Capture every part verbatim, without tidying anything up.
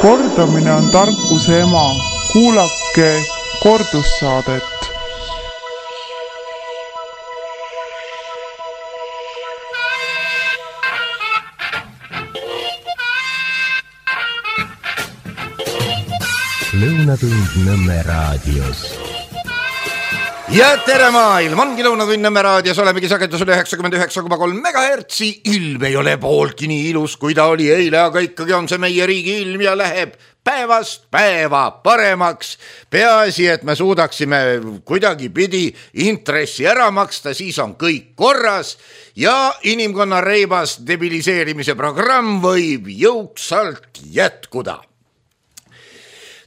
Kordamine on tarkuse ema. Kuulake kordussaadet. Lõunatund Nõmme raadios. Ja tere maailm, ongi Lõunatund Nõmme raadios, olemegi sagedusel üheksakümmend üheksa koma kolm megahertsi. Ilm ei ole pooltki nii ilus, kui ta oli eile, aga ikkagi on see meie riigi ilm ja läheb päevast päeva paremaks. Peaasi, et me suudaksime kuidagi pidi intressi ära maksta, siis on kõik korras ja inimkonna reibas debiliseerimise programm võib jõuksalt jätkuda.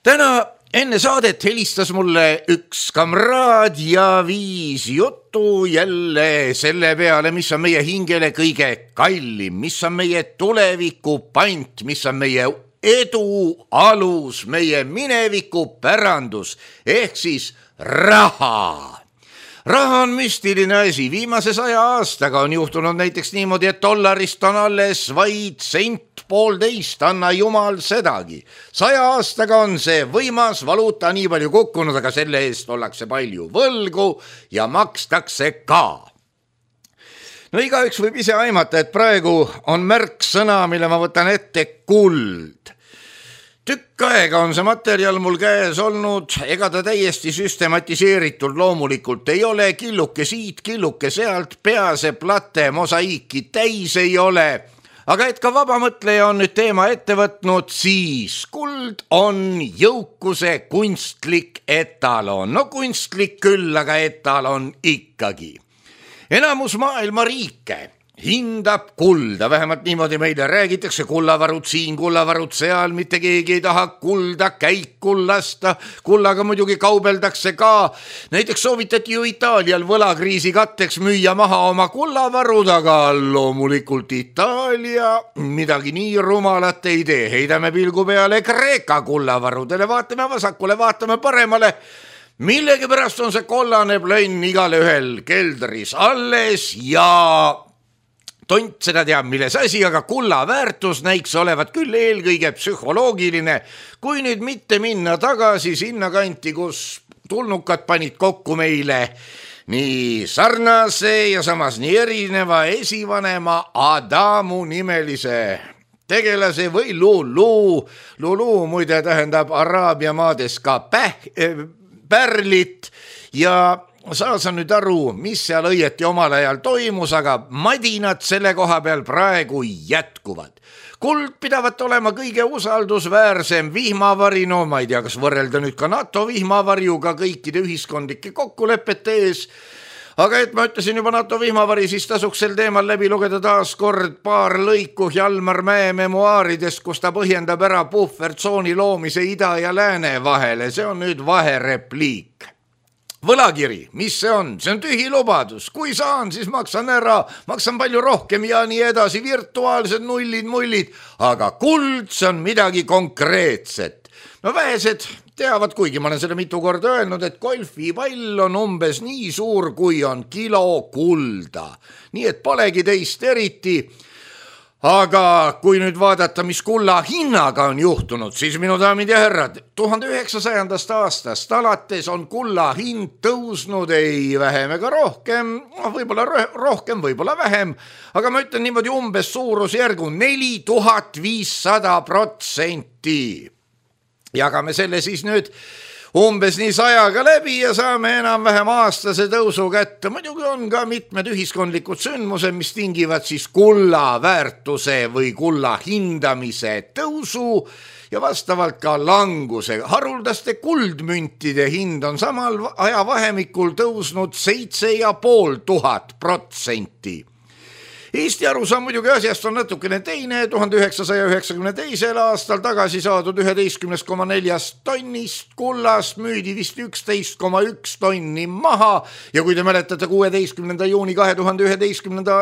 Täna enne saadet helistas mulle üks kamraad ja viis juttu jälle selle peale, mis on meie hingele kõige kallim, mis on meie tuleviku pant, mis on meie edu alus, meie mineviku pärandus ehk siis raha. Raha on müstiline asi, viimase saja aastaga on juhtunud näiteks niimoodi, et dollarist on alles vaid sent poolteist, anna jumal sedagi. Saja aastaga on see võimas valuuta nii palju kukkunud, aga selle eest ollakse palju võlgu ja makstakse ka. No igaüks võib ise aimata, et praegu on märksõna, mille ma võtan ette kuld. Tükk aega on see materjal mul käes olnud, ega ta täiesti süstematiseeritud loomulikult ei ole, killuke siit, killuke sealt, pease plate mosaiiki täis ei ole. Aga et ka vabamõtleja on nüüd teema ette võtnud, siis kuld on jõukuse kunstlik etalon. No kunstlik küll, aga etalon ikkagi. Enamus maailma riike hindab kulda, vähemalt niimoodi meile räägitakse, kullavarud siin, kullavarud seal, mitte keegi ei taha kulda käiku lasta, kullaga muidugi kaubeldakse ka. Näiteks soovitati ju Itaalial võlakriisi katteks müüa maha oma kullavarud, aga loomulikult Itaalia midagi nii rumalat ei tee. Heidame pilgu peale Kreeka kullavarudele, vaatame vasakule, vaatame paremale. Millegi pärast on see kollane plönn igale ühel keldris alles ja tont seda teab, milles asi, aga kulla väärtus näiks olevat küll eelkõige psühholoogiline, kui nüüd mitte minna tagasi sinna kanti, kus tulnukad panid kokku meile nii sarnase ja samas nii erineva esivanema Adamu nimelise tegelase või Lulu. Lulu muide tähendab Araabia maades ka päh, pärlit ja saa sa nüüd aru, mis seal õieti omal ajal toimus, aga madinad selle koha peal praegu jätkuvad. Kuld pidavat olema kõige usaldusväärsem vihmavari, no ma ei tea, kas võrrelda nüüd ka NATO vihmavarjuga kõikide ühiskondlike kokkulepete ees, aga et ma ütlesin juba NATO vihmavari, siis tasuks sel teemal läbi lugeda taas kord paar lõiku Hjalmar Mäe memuaaridest, kus ta põhjendab ära puhvertsooni loomise ida ja lääne vahele. See on nüüd vaherepliik. Võlakiri, mis see on? See on tühi lubadus. Kui saan, siis maksan ära, maksan palju rohkem ja nii edasi, virtuaalsed nullid, mullid, aga kuld, see on midagi konkreetset. No vähesed teavad, kuigi ma olen seda mitu korda öelnud, et golfipall on umbes nii suur, kui on kilo kulda. Nii et polegi teist eriti. Aga kui nüüd vaadata, mis kulla hinnaga on juhtunud, siis minu daamid ja härrad, tuhande üheksasajandast aastast alates on kulla hind tõusnud ei vähem ega rohkem, võib-olla rohkem, võib-olla vähem, aga ma ütlen niimoodi umbes suurusjärgu neli tuhat viissada protsenti. Jagame selle siis nüüd umbes nii sajaga läbi ja saame enam-vähem aastase tõusu kätte. Muidugi on ka mitmed ühiskondlikud sündmused, mis tingivad siis kulla väärtuse või kulla hindamise tõusu ja vastavalt ka languse. Haruldaste kuldmüntide hind on samal ajavahemikul tõusnud seitse ja pool tuhat protsenti. Eesti arusaam muidugi asjast on natukene teine, tuhande üheksasaja üheksakümne teisel aastal tagasi saadud üheteistkümne koma neli tonnist kullast müüdi vist üksteist koma üks tonni maha ja kui te mäletate kuueteistkümnenda juuni kahe tuhande üheteistkümnenda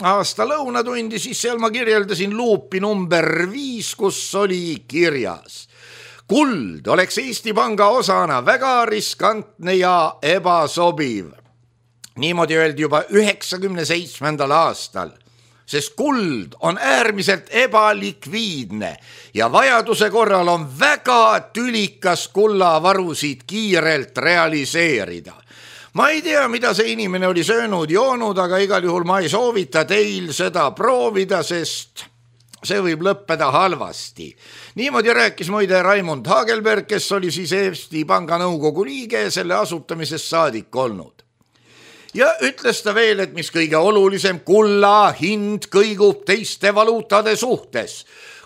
aasta lõunatundi, siis seal ma kirjeldasin luupi number viis, kus oli kirjas. Kuld oleks Eesti Panga osana väga riskantne ja ebasobiv. Niimoodi öeldi juba üheksakümne seitsmendal aastal. sest kuld on äärmiselt ebalikviidne ja vajaduse korral on väga tülikas kullavarusid kiirelt realiseerida. Ma ei tea, mida see inimene oli söönud, joonud, aga igal juhul ma ei soovita teil seda proovida, sest see võib lõppeda halvasti. Niimoodi rääkis muide Raimond Hagelberg, kes oli siis Eesti Panga nõukogu liige selle asutamisest saadik olnud. Ja ütles ta veel, et mis kõige olulisem, kulla hind kõigub teiste valuutade suhtes.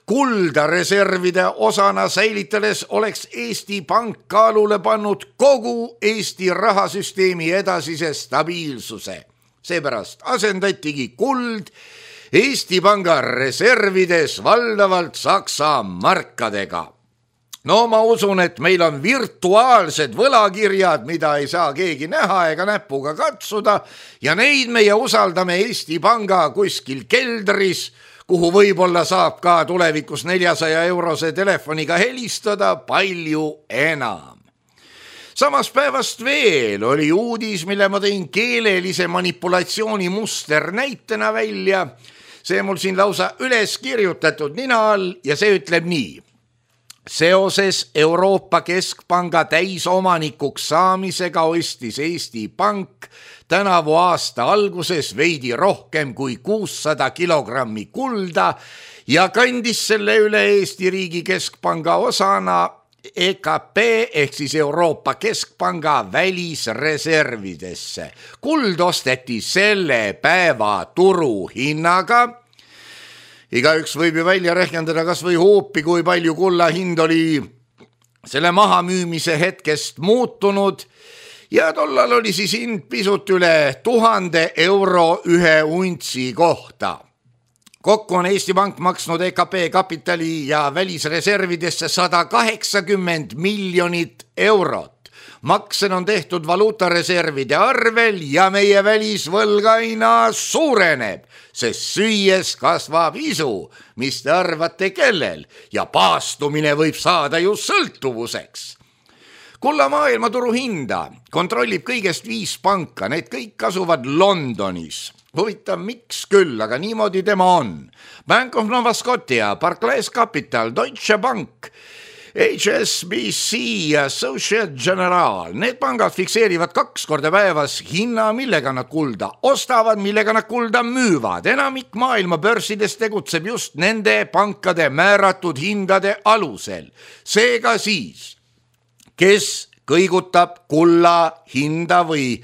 Kulda reservide osana säilitades oleks Eesti Pank kaalule pannud kogu Eesti rahasüsteemi edasise stabiilsuse. Seepärast asendatigi kuld Eesti Panga reservides valdavalt Saksa markadega. No ma usun, et meil on virtuaalsed võlakirjad, mida ei saa keegi näha ega näpuga katsuda ja neid meie usaldame Eesti Panga kuskil keldris, kuhu võib-olla saab ka tulevikus neljasaja eurose telefoniga helistada palju enam. Samas päevast veel oli uudis, mille ma tõin keelelise manipulatsiooni muster näitena välja. See mul siin lausa üles kirjutatud nina all ja see ütleb nii. Seoses Euroopa Keskpanga täisomanikuks saamisega ostis Eesti Pank tänavu aasta alguses veidi rohkem kui kuussada kilogrammi kulda ja kandis selle üle Eesti riigi keskpanga osana E K P ehk siis Euroopa Keskpanga välisreservidesse. Kuld osteti selle päeva turuhinnaga. Igaüks võib ju välja rehkendada kas või hoopi, kui palju kulla hind oli selle mahamüümise hetkest muutunud ja tollal oli siis hind pisut üle tuhande euro ühe untsi kohta. Kokku on Eesti Pank maksnud E K P kapitali ja välisreservidesse sada kaheksakümmend miljonit eurot. Maksen on tehtud valuutareservide arvel ja meie välisvõlg aina suureneb, sest süües kasvab isu, mis te arvate kellel, ja paastumine võib saada ju sõltuvuseks. Kulla maailmaturu hinda kontrollib kõigest viis panka, need kõik asuvad Londonis. Huvitav, miks küll, aga niimoodi tema on. Bank of Nova Scotia, Barclays Capital, Deutsche Bank, H S B C ja Societe Generale. Need pangad fikseerivad kaks korda päevas hinna, millega nad kulda ostavad, millega nad kulda müüvad. Enamik maailma börsides tegutseb just nende pankade määratud hindade alusel. Seega siis, kes kõigutab kulla hinda või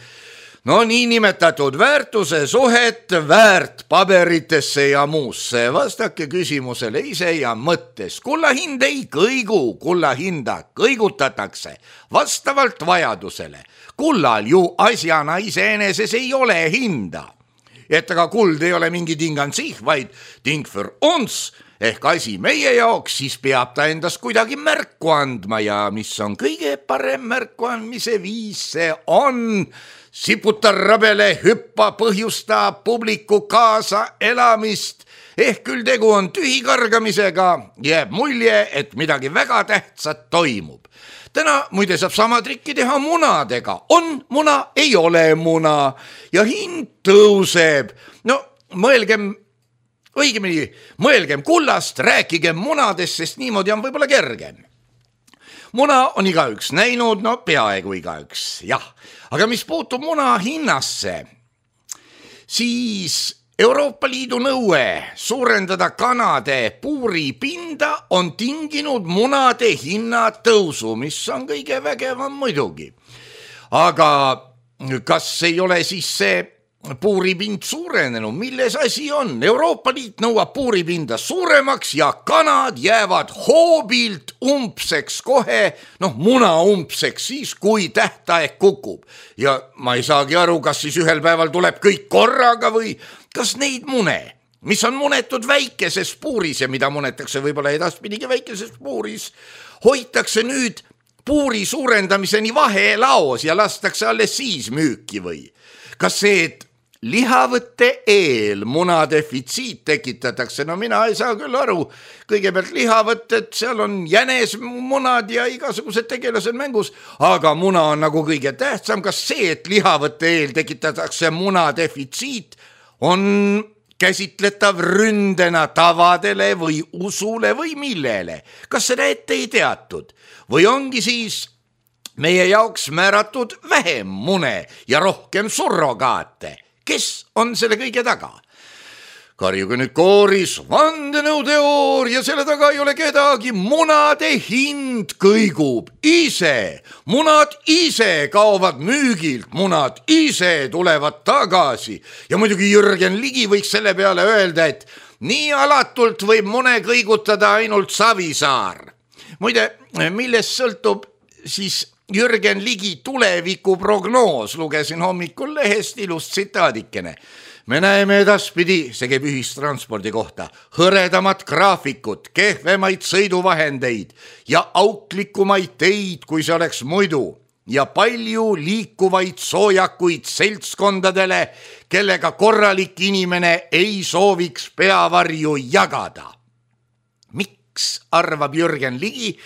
no niinimetatud väärtuse suhet väärtpaberitesse ja muusse. Vastake küsimusele ise ja mõttes. Kulla hind ei kõigu, kulla hinda kõigutatakse vastavalt vajadusele. Kullal ju asjana iseeneses ei ole hinda. Et aga kuld ei ole mingi tingansih, vaid ting für uns ehk asi meie jaoks, siis peab ta endast kuidagi märku andma ja mis on kõige parem märku andmise viis, see on siputa rabele, hüppa, põhjusta publiku kaasa elamist, ehk küll tegu on tühikargamisega, jääb mulje, et midagi väga tähtsat toimub. Täna muide saab sama trikki teha munadega. On muna, ei ole muna ja hind tõuseb. No mõelgem, õigemini mõelgem kullast, rääkigem munadest, sest niimoodi on võib-olla kergem. Muna on igaüks näinud, no peaaegu igaüks, jah. Aga mis puutub muna hinnasse, siis Euroopa Liidu nõue suurendada kanade puuripinda on tinginud munade hinna tõusu, mis on kõige vägevam muidugi. Aga kas ei ole siis see puuripind suurenenud, milles asi on? Euroopa Liit nõuab puuripinda suuremaks ja kanad jäävad hoobilt umpseks kohe, noh muna umpseks siis, kui tähtaeg kukub. Ja ma ei saagi aru, kas siis ühel päeval tuleb kõik korraga või kas neid mune, mis on munetud väikeses puuris ja mida munetakse võib-olla edaspidigi väikeses puuris, hoitakse nüüd puuri suurendamiseni vahelaos ja lastakse alles siis müüki või? Kas see, et lihavõtte eel muna defitsiit tekitatakse, no mina ei saa küll aru. Kõigepealt lihavõtted, seal on jänesmunad ja igasugused tegelased mängus, aga muna on nagu kõige tähtsam. Kas see, et lihavõtte eel tekitatakse muna defitsiit, on käsitletav ründena tavadele või usule või millele. Kas seda ette ei teatud või ongi siis meie jaoks määratud vähem mune ja rohkem surrogaate? Kes on selle kõige taga? Karjuge nüüd kooris, vandenõuteooria, selle taga ei ole kedagi, munade hind kõigub ise, munad ise kaovad müügilt, munad ise tulevad tagasi ja muidugi Jürgen Ligi võiks selle peale öelda, et nii alatult võib mune kõigutada ainult Savisaar. Muide, millest sõltub siis Jürgen Ligi tulevikuprognoos, lugesin hommikul lehest ilust tsitaadikene. Me näeme edaspidi, see käib ühistranspordi kohta, hõredamat graafikut, kehvemaid sõiduvahendeid ja auklikumaid teid, kui see oleks muidu, ja palju liikuvaid soojakuid seltskondadele, kellega korralik inimene ei sooviks peavarju jagada. Miks arvab Jürgen Ligi,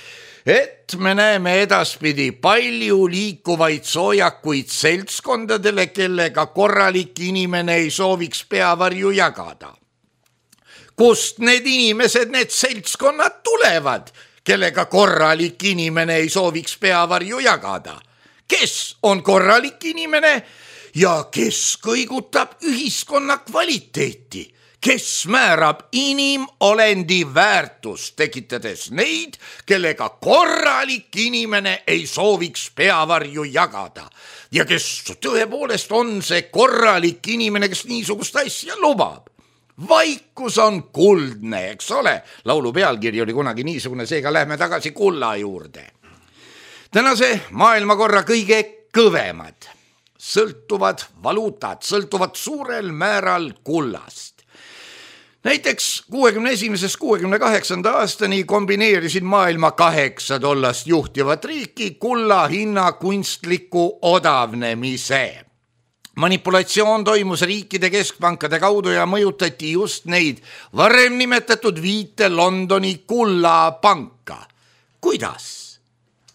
et me näeme edaspidi palju liikuvaid soojakuid seltskondadele, kellega korralik inimene ei sooviks peavarju jagada? Kust need inimesed, need seltskonnad tulevad, kellega korralik inimene ei sooviks peavarju jagada? Kes on korralik inimene ja kes kõigutab ühiskonna kvaliteeti? Kes määrab inimolendi väärtust, tekitades neid, kellega korralik inimene ei sooviks peavarju jagada? Ja kes tõepoolest on see korralik inimene, kes niisugust asja lubab? Vaikus on kuldne, eks ole? Laulu pealkiri oli kunagi niisugune, seega lähme tagasi kulla juurde. Tänase maailmakorra kõige kõvemad sõltuvad valuutad, sõltuvad suurel määral kullast. Näiteks kuuekümne esimesest kuuekümne kaheksanda aastani kombineerisid maailma kaheksa tollast juhtivat riiki kulla hinna kunstliku odavnemise. Manipulatsioon toimus riikide keskpankade kaudu ja mõjutati just neid varem nimetatud viite Londoni kullapanka. Kuidas?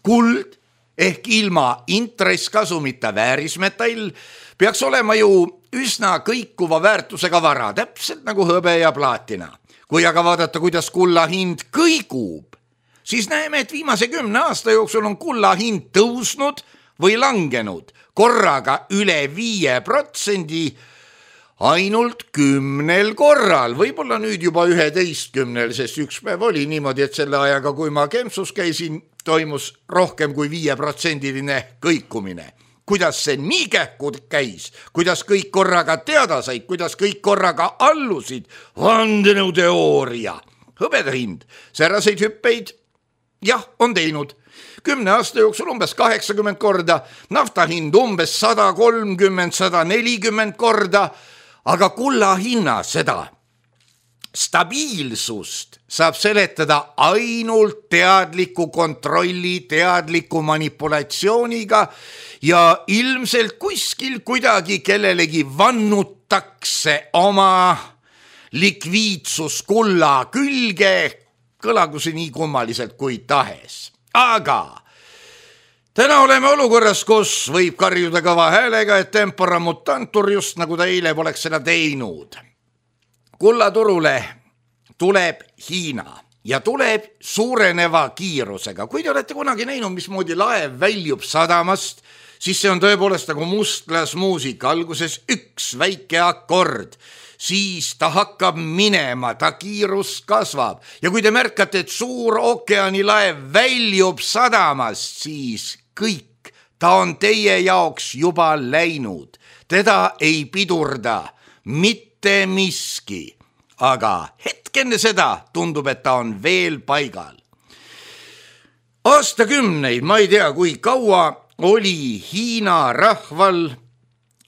Kuld ehk ilma intresskasumita väärismetall peaks olema ju üsna kõikuva väärtusega vara, täpselt nagu hõbe ja plaatina. Kui aga vaadata, kuidas kulla hind kõigub, siis näeme, et viimase kümne aasta jooksul on kulla hind tõusnud või langenud korraga üle viie protsendi ainult kümnel korral, võib-olla nüüd juba üheteistkümnel, sest üks päev oli niimoodi, et selle ajaga, kui ma Kempsus käisin, toimus rohkem kui viieprotsendiline kõikumine. Kuidas see nii kähku käis, kuidas kõik korraga teada said, kuidas kõik korraga allusid, vandenõuteooria. Hõbeda hind, säraseid hüppeid, jah, on teinud. Kümne aasta jooksul umbes kaheksakümmend korda, nafta hind umbes sada kolmkümmend, sada nelikümmend korda, aga kulla hinna seda stabiilsust saab seletada ainult teadliku kontrolli, teadliku manipulatsiooniga ja ilmselt kuskil kuidagi kellelegi vannutakse oma likviidsus kulla külge, kõlagu see nii kummaliselt kui tahes. Aga täna oleme olukorras, kus võib karjuda kõva häälega, et tempora mutantur, just nagu ta eile poleks seda teinud. Kullaturule tuleb Hiina ja tuleb suureneva kiirusega. Kui te olete kunagi näinud, mismoodi laev väljub sadamast, siis see on tõepoolest nagu mustlasmuusika. Alguses üks väike akord, siis ta hakkab minema, ta kiirus kasvab. Ja kui te märkate, et suur ookeanilaev väljub sadamast, siis kõik, ta on teie jaoks juba läinud. Teda ei pidurda mitte miski, aga hetkenne seda tundub, et ta on veel paigal. Aastakümneid, ma ei tea, kui kaua oli Hiina rahval,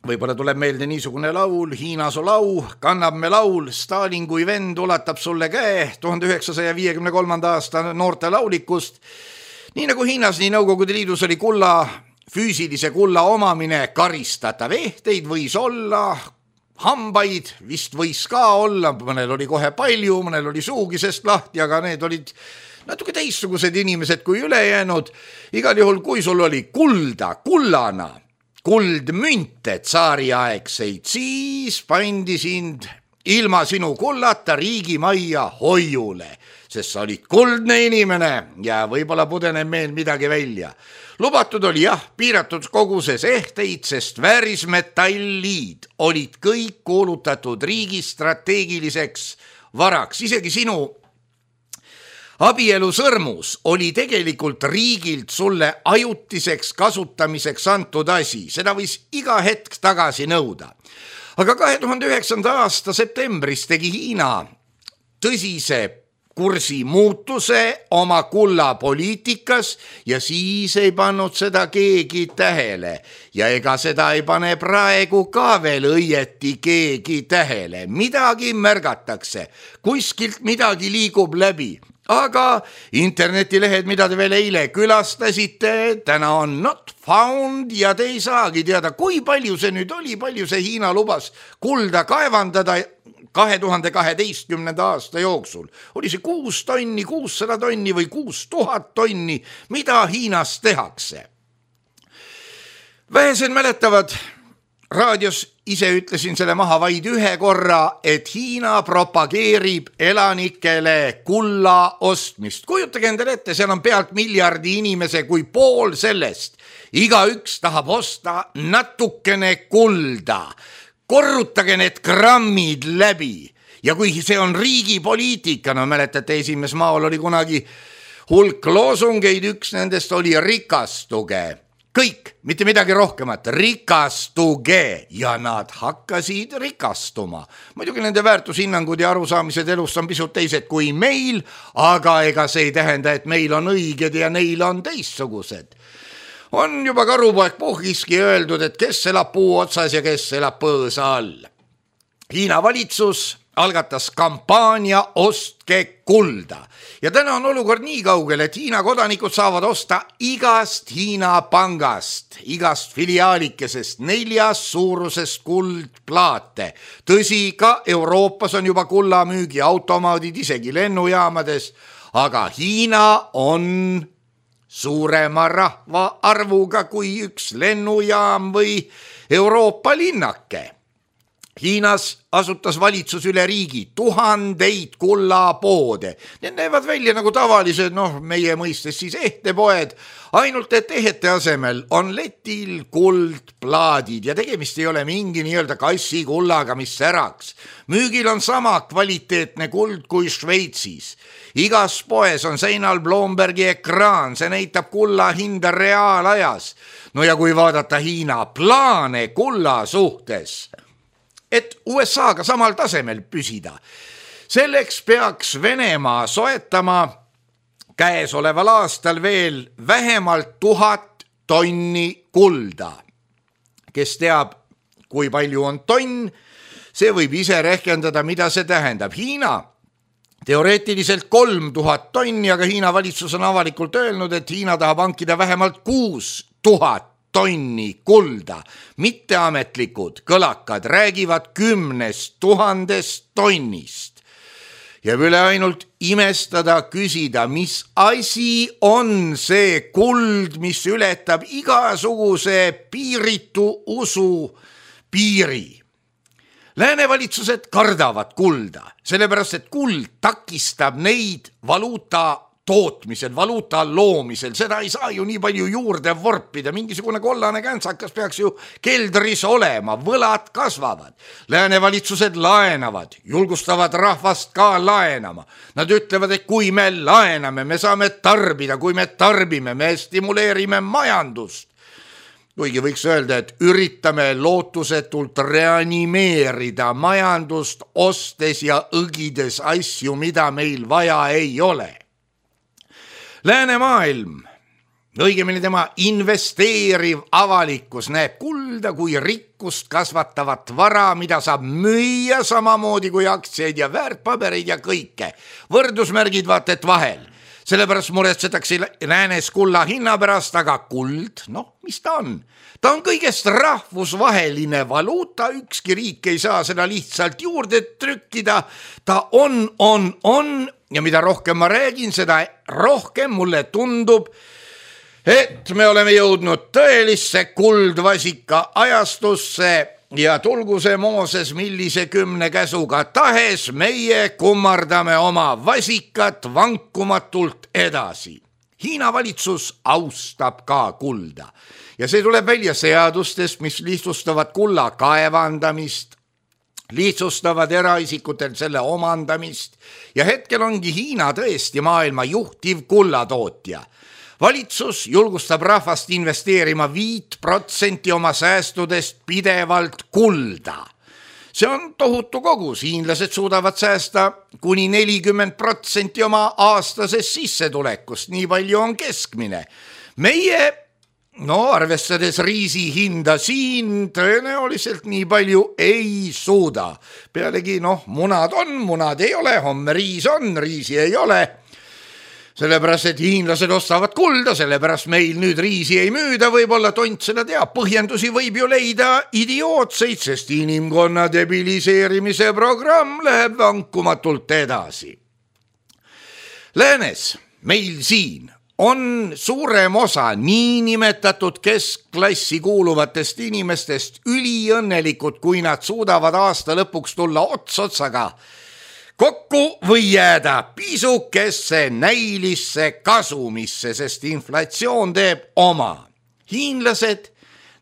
võib-olla tuleb meelde niisugune laul, Hiina su lau, kannab me laul, Stalin kui vend ulatab sulle käe, tuhande üheksasaja viiekümne kolmanda aasta noorte laulikust. Nii nagu Hiinas, nii Nõukogude Liidus oli kulla, füüsilise kulla omamine karistatav. Ehteid võis olla, hambaid vist võis ka olla, mõnel oli kohe palju, mõnel oli suugisest lahti, aga need olid natuke teistsugused inimesed kui ülejäänud. Igal juhul, kui sul oli kulda, kullana, kuldmünte tsaariaegseid, siis pandi sind ilma sinu kullata riigimajja hoiule, sest sa olid kuldne inimene ja võib-olla pudeneb meil midagi välja. Lubatud oli jah, piiratud koguses ehteid, sest väärismetallid olid kõik kuulutatud riigi strateegiliseks varaks. Isegi sinu abielusõrmus oli tegelikult riigilt sulle ajutiseks kasutamiseks antud asi. Seda võis iga hetk tagasi nõuda. Aga kahe tuhande üheksanda aasta septembris tegi Hiina tõsise kursi muutuse oma kulla poliitikas ja siis ei pannud seda keegi tähele. Ja ega seda ei pane praegu ka veel õieti keegi tähele. Midagi märgatakse, kuskilt midagi liigub läbi. Aga internetilehed, mida te veel eile külastasite, täna on not found ja te ei saagi teada, kui palju see nüüd oli, palju see Hiina lubas kulda kaevandada kahe tuhande kaheteistkümnenda aasta jooksul. Oli see kuus tonni, kuussada tonni või kuus tuhat tonni, mida Hiinas tehakse. Vähesed mäletavad, raadios ise ütlesin selle maha vaid ühe korra, et Hiina propageerib elanikele kulla ostmist. Kujutage endale ette, seal on pealt miljardi inimese kui pool sellest. Iga üks tahab osta natukene kulda. Korrutage need grammid läbi. Ja kui see on riigi poliitika, no mäletate, esimees maal oli kunagi hulk loosungeid, üks nendest oli rikastuge. Kõik, mitte midagi rohkemat, rikastuge ja nad hakkasid rikastuma. Muidugi nende väärtushinnangud ja arusaamised elust on pisut teised kui meil, aga ega see ei tähenda, et meil on õiged ja neil on teistsugused. On juba karupoeg Puhhiski öeldud, et kes elab puu otsas ja kes elab põõsa all. Hiina valitsus algatas kampaania Ostke kulda. Ja täna on olukord nii kaugel, et Hiina kodanikud saavad osta igast Hiina pangast, igast filiaalikesest neljas suurusest kuldplaate. Tõsi, ka Euroopas on juba kullamüügi automaadid isegi lennujaamades, aga Hiina on suurema rahva arvuga kui üks lennujaam või Euroopa linnake. Hiinas asutas valitsus üle riigi tuhandeid kullapoode. Need näevad välja nagu tavalised, noh, meie mõistes siis ehtepoed, ainult et ehete asemel on letil kuldplaadid ja tegemist ei ole mingi nii-öelda kassi kullaga, mis säraks. Müügil on sama kvaliteetne kuld kui Šveitsis. Igas poes on seinal Bloombergi ekraan, see näitab kulla hinda reaalajas. No ja kui vaadata Hiina plaane kulla suhtes, et U S A-ga samal tasemel püsida. Selleks peaks Venemaa soetama käesoleval aastal veel vähemalt tuhat tonni kulda. Kes teab, kui palju on tonn, see võib ise rehkendada, mida see tähendab. Hiina teoreetiliselt kolm tuhat tonni, aga Hiina valitsus on avalikult öelnud, et Hiina tahab hankida vähemalt kuus tuhat tonni kulda. Mitteametlikud kõlakad räägivad kümnest tuhandest tonnist. Ja üle ainult imestada küsida, mis asi on see kuld, mis ületab igasuguse piiritu usu piiri. Lääne valitsused kardavad kulda, sellepärast et kuld takistab neid valuuta tootmisel, valuuta loomisel, seda ei saa ju nii palju juurde vorpida, mingisugune kollane käntsakas peaks ju keldris olema, võlad kasvavad. Lääne valitsused laenavad, julgustavad rahvast ka laenama. Nad ütlevad, et kui me laename, me saame tarbida, kui me tarbime, me stimuleerime majandust. Kuigi võiks öelda, et üritame lootusetult reanimeerida majandust ostes ja õgides asju, mida meil vaja ei ole. Lääne maailm, õigemini tema investeeriv avalikkus näeb kulda kui rikkust kasvatavat vara, mida saab müüa samamoodi kui aktsiaid ja väärtpabereid ja kõike. Võrdusmärgid vaat et vahel. Sellepärast muretsetakse läänes kulla hinna pärast, aga kuld, noh, mis ta on? Ta on kõigest rahvusvaheline valuuta, ükski riik ei saa seda lihtsalt juurde trükkida. Ta on, on, on ja mida rohkem ma räägin, seda rohkem mulle tundub, et me oleme jõudnud tõelisse kuldvasika ajastusse ja tulgu see Mooses millise kümne käsuga tahes, meie kummardame oma vasikat vankumatult edasi. Hiina valitsus austab ka kulda ja see tuleb välja seadustest, mis lihtsustavad kulla kaevandamist, lihtsustavad eraisikutel selle omandamist ja hetkel ongi Hiina tõesti maailma juhtiv kullatootja. Valitsus julgustab rahvast investeerima viit protsenti oma säästudest pidevalt kulda. See on tohutu kogus, hiinlased suudavad säästa kuni nelikümmend protsenti oma aastasest sissetulekust, nii palju on keskmine. Meie, no arvestades riisi hinda siin, tõenäoliselt nii palju ei suuda. Pealegi, noh, munad on, munad ei ole, homme riis on, riisi ei ole. Sellepärast, et hiinlased ostavad kulda, sellepärast meil nüüd riisi ei müüda, võib-olla tont seda teab. Põhjendusi võib ju leida idiootseid, sest inimkonna debiliseerimise programm läheb vankumatult edasi. Läänes, meil siin, on suurem osa niinimetatud keskklassi kuuluvatest inimestest üliõnnelikud, kui nad suudavad aasta lõpuks tulla ots otsaga kokku või jääda pisukesse näilisse kasumisse, sest inflatsioon teeb oma. Hiinlased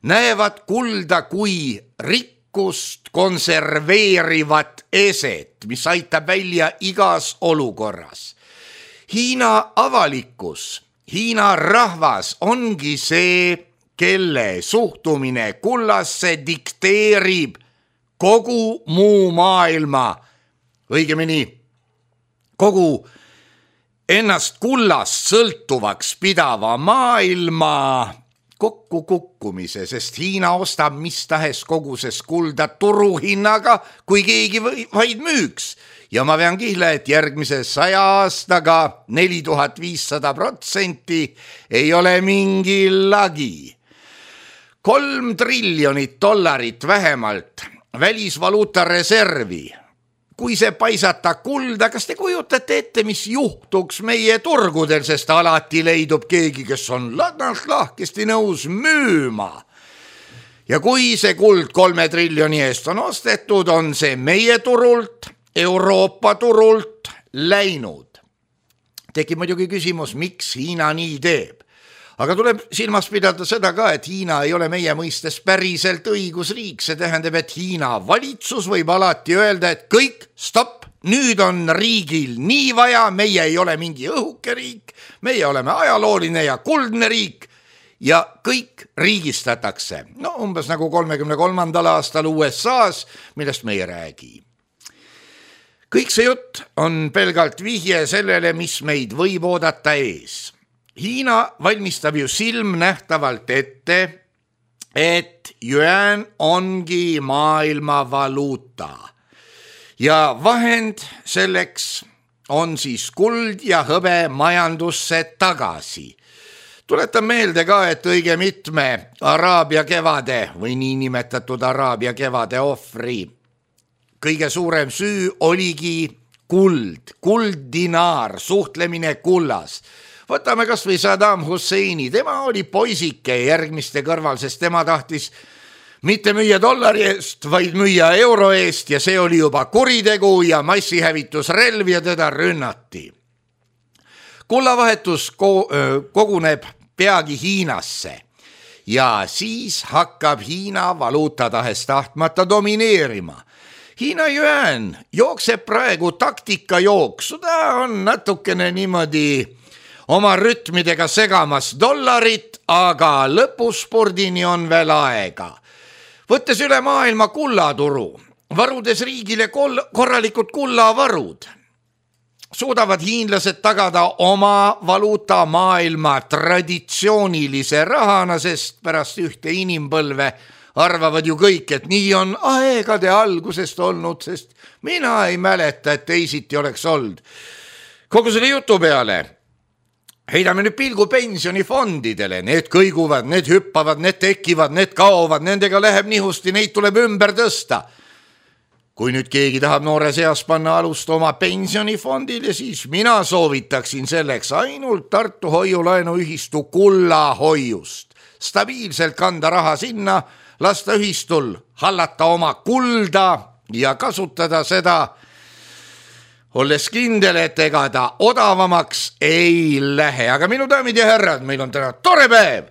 näevad kulda kui rikkust konserveerivat eset, mis aitab välja igas olukorras. Hiina avalikkus, Hiina rahvas ongi see, kelle suhtumine kullasse dikteerib kogu muu maailma, õigemini kogu ennast kullast sõltuvaks pidava maailma kokkukukkumise, sest Hiina ostab mis tahes koguses kulda turuhinnaga, kui keegi vaid müüks. Ja ma vean kihla, et järgmise saja aastaga neli tuhat viissada protsenti ei ole mingi lagi. Kolm triljonit dollarit vähemalt välisvaluuta reservi. Kui see paisata kulda, kas te kujutate ette, mis juhtuks meie turgudel, sest alati leidub keegi, kes on ladnalt lahkesti nõus müüma. Ja kui see kuld kolme triljoni eest on ostetud, on see meie turult, Euroopa turult läinud. Tekib muidugi küsimus, miks Hiina nii teeb. Aga tuleb silmas pidada seda ka, et Hiina ei ole meie mõistes päriselt õigusriik. See tähendab, et Hiina valitsus võib alati öelda, et kõik, stopp, nüüd on riigil nii vaja, meie ei ole mingi õhuke riik, meie oleme ajalooline ja kuldne riik ja kõik riigistatakse. No umbes nagu kolmekümne kolmandal aastal U S A-s, millest me ei räägi. Kõik see jutt on pelgalt vihje sellele, mis meid võib oodata ees. Hiina valmistab ju silmnähtavalt ette, et yuan ongi maailma valuuta ja vahend selleks on siis kuld ja hõbe majandusse tagasi. Tuletan meelde ka, et õige mitme Araabia kevade või niinimetatud Araabia kevade ohvri kõige suurem süü oligi kuld, kulddinaar, suhtlemine kullas. Võtame kas või Saddam Husseini, tema oli poisike järgmiste kõrval, sest tema tahtis mitte müüa dollari eest, vaid müüa euro eest ja see oli juba kuritegu ja massihävitusrelv ja teda rünnati. Kullavahetus koguneb peagi Hiinasse ja siis hakkab Hiina valuuta tahes tahtmata domineerima. Hiina yuan jookseb praegu taktika jooksu, ta on natukene niimoodi oma rütmidega segamas dollarit, aga lõpuspordini on veel aega. Võttes üle maailma kullaturu, varudes riigile kol- korralikud kullavarud, suudavad hiinlased tagada oma valuuta maailma traditsioonilise rahana, sest pärast ühte inimpõlve arvavad ju kõik, et nii on aegade algusest olnud, sest mina ei mäleta, et teisiti oleks olnud. Kogu selle jutu peale heidame nüüd pilgu pensionifondidele, need kõiguvad, need hüppavad, need tekivad, need kaovad, nendega läheb nihusti, neid tuleb ümber tõsta. Kui nüüd keegi tahab noore seas panna alust oma pensionifondile, siis mina soovitaksin selleks ainult Tartu hoiulaenuühistu kullahoiust. Stabiilselt kanda raha sinna, lasta ühistul hallata oma kulda ja kasutada seda, olles kindel, et ega ta odavamaks ei lähe. Aga minu daamid ja härrad, meil on täna tore päev.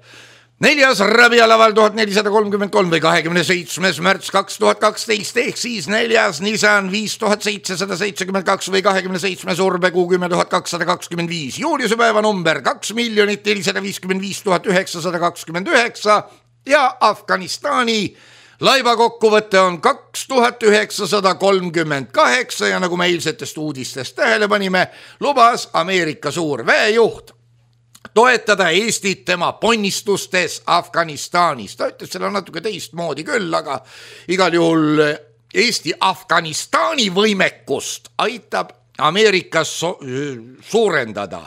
Neljas Rabialaval tuhat nelisada kolmkümmend kolm või kahekümne seitsmes märts kaks tuhat kaksteist ehk siis neljas Nissan viis tuhat seitsesada seitsekümmend kaks või kahekümne seitsmes Urbekuu kümme tuhat kakssada kakskümmend viis. Juuliuse päeva number kaks miljonit nelisada viiskümmend viis tuhat üheksasada kakskümmend üheksa ja Afganistani laiva kokkuvõte on kaks tuhat üheksasada kolmkümmend kaheksa ja nagu me eilsetest uudistest tähele panime, lubas Ameerika suur väejuht toetada Eestit tema ponnistustes Afganistanis. Ta ütles selle natuke teistmoodi küll, aga igal juhul Eesti Afganistani võimekust aitab Ameerikas so- suurendada.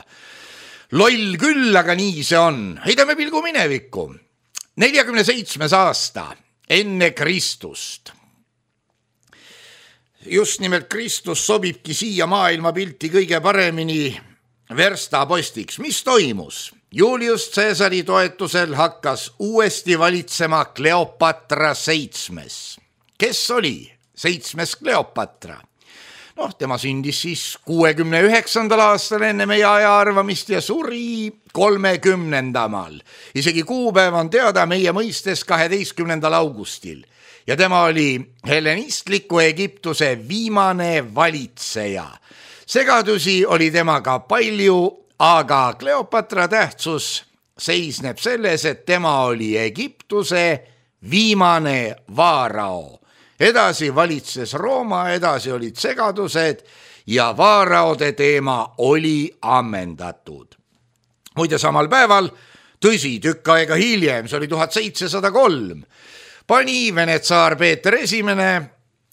Loll küll, aga nii see on. Heidame pilgu minevikku. neljakümne seitsmes aasta enne Kristust. Just nimelt Kristus sobibki siia maailmapilti kõige paremini verstapostiks. Mis toimus? Julius Caesari toetusel hakkas uuesti valitsema Kleopatra seitsmes. Kes oli seitsmes Kleopatra? Noh, tema sündis siis kuuekümne üheksandal aastal enne meie aja arvamist ja suri kolmekümnendamal. Isegi kuupäev on teada meie mõistes kaheteistkümnendal augustil. Ja tema oli hellenistliku Egiptuse viimane valitseja. Segadusi oli temaga palju, aga Kleopatra tähtsus seisneb selles, et tema oli Egiptuse viimane vaarao. Edasi valitses Rooma, edasi olid segadused ja vaaraode teema oli ammendatud. Muide samal päeval, tõsi tükk aega hiljem, see oli tuhat seitsesada kolm, pani Vene tsaar Peeter esimene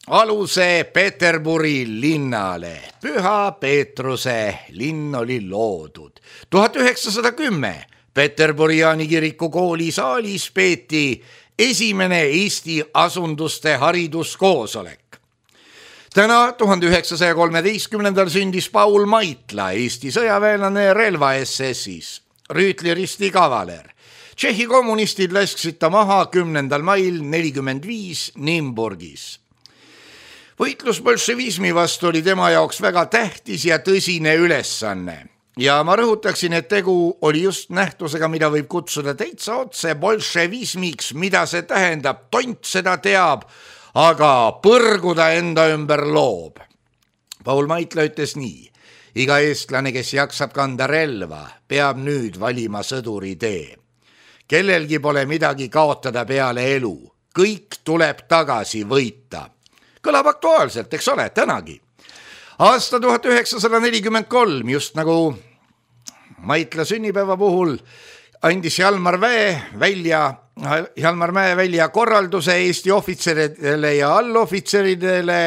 aluse Peterburi linnale. Püha Peetruse linn oli loodud. tuhat üheksasada kümme Peterburi Jaani kiriku kooli saalis peeti esimene Eesti asunduste hariduskoosolek. Täna tuhande üheksasaja kolmeteistkümnendal sündis Paul Maitla, Eesti sõjaväelane relva S S-is, rüütliristi kavaler. Tšehhi kommunistid lasksid ta maha kümnendal mail nelikümmend viis Nimburgis. Võitlus bolševismi vastu oli tema jaoks väga tähtis ja tõsine ülesanne. Ja ma rõhutaksin, et tegu oli just nähtusega, mida võib kutsuda täitsa otse bolševismiks, mida see tähendab. Tont seda teab, aga põrguda enda ümber loob. Paul Maitla ütles nii. Iga eestlane, kes jaksab kanda relva, peab nüüd valima sõduri tee. Kellelgi pole midagi kaotada peale elu. Kõik tuleb tagasi võita. Kõlab aktuaalselt, eks ole, tänagi. Aasta tuhat üheksasada nelikümmend kolm, just nagu Maitla sünnipäeva puhul, andis Jalmar Mäe välja, Jalmar Mäe välja korralduse Eesti ohvitseridele ja allohvitseridele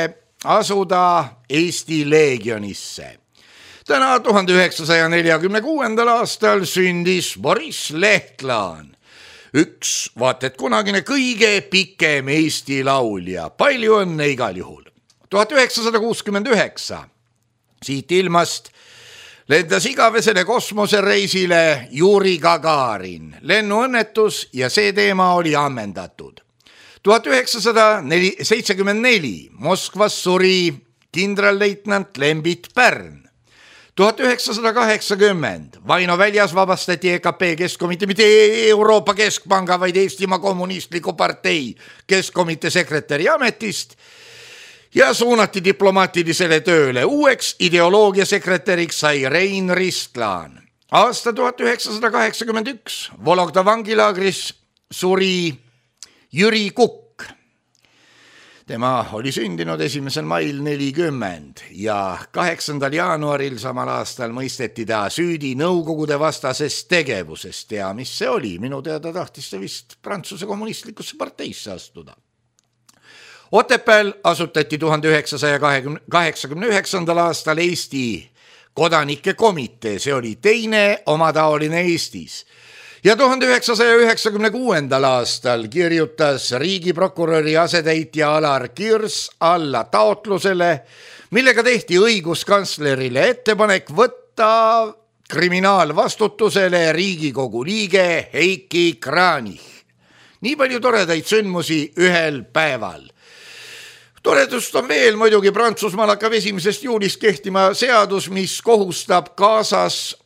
asuda Eesti leegionisse. Täna tuhande üheksasaja neljakümne kuuendal aastal sündis Boris Lehtlaan. Üks, vaat et kunagine kõige pikem Eesti laulja. Palju õnne igal juhul. tuhat üheksasada kuuskümmend üheksa. Siit ilmast lendas igavesele kosmosereisile Juri Gagarin. Lennuõnnetus ja see teema oli ammendatud. tuhat üheksasada seitsekümmend neli. Moskvas suri kindralleitnant Lembit Pärn. tuhat üheksasada kaheksakümmend. Vaino väljas vabastati E K P keskkomitee, mitte Euroopa Keskpanga, vaid Eestimaa Kommunistliku partei keskkomitee sekretäri ametist ja suunati diplomaatilisele tööle. Uueks ideoloogiasekretäriks sai Rein Ristlaan. Aasta tuhat üheksasada kaheksakümmend üks. Vologda vangilaagris suri Jüri Kukk. Tema oli sündinud esimesel mail nelikümmend ja kaheksandal jaanuaril samal aastal mõisteti ta süüdi Nõukogude vastasest tegevusest ja mis see oli? Minu teada tahtis see vist Prantsuse kommunistlikusse parteisse astuda. Otepääl asutati tuhande üheksasaja kaheksakümne üheksandal aastal Eesti kodanike komitee, see oli teine omataoline Eestis. Ja tuhande üheksasaja üheksakümne kuuendal aastal kirjutas riigiprokuröri asetäitja Alar Kirs alla taotlusele, millega tehti õiguskantslerile ettepanek võtta kriminaalvastutusele Riigikogu liige Heiki Kranich. nii palju toredaid sündmusi ühel päeval. Toredust on veel, muidugi Prantsusmaal hakkab esimesest juulist kehtima seadus, mis kohustab kaasas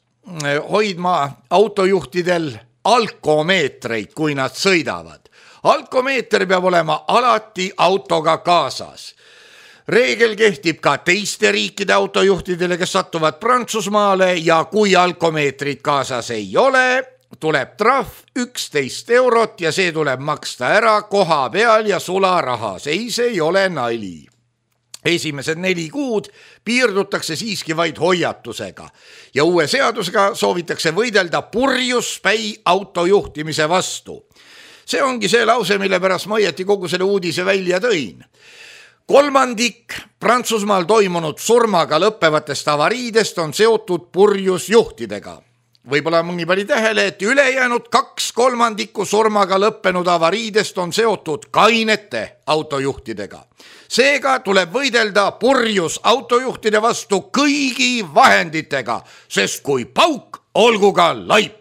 hoidma autojuhtidel alkomeetreid, kui nad sõidavad. Alkomeeter peab olema alati autoga kaasas. Reegel kehtib ka teiste riikide autojuhtidele, kes sattuvad Prantsusmaale ja kui alkomeetrit kaasas ei ole, tuleb trahv üksteist eurot ja see tuleb maksta ära koha peal ja sularahas. Ei, see ei ole nali. Esimesed neli kuud piirdutakse siiski vaid hoiatusega ja uue seadusega soovitakse võidelda purjuspäi autojuhtimise vastu. See ongi see lause, mille pärast ma õieti kogu selle uudise välja tõin. Kolmandik Prantsusmaal toimunud surmaga lõppevatest avariidest on seotud purjusjuhtidega. Võib-olla mõni pani tähele, et ülejäänud kaks kolmandikku surmaga lõppenud avariidest on seotud kainete autojuhtidega. Seega tuleb võidelda purjus autojuhtide vastu kõigi vahenditega, sest kui pauk, olgu ka laip.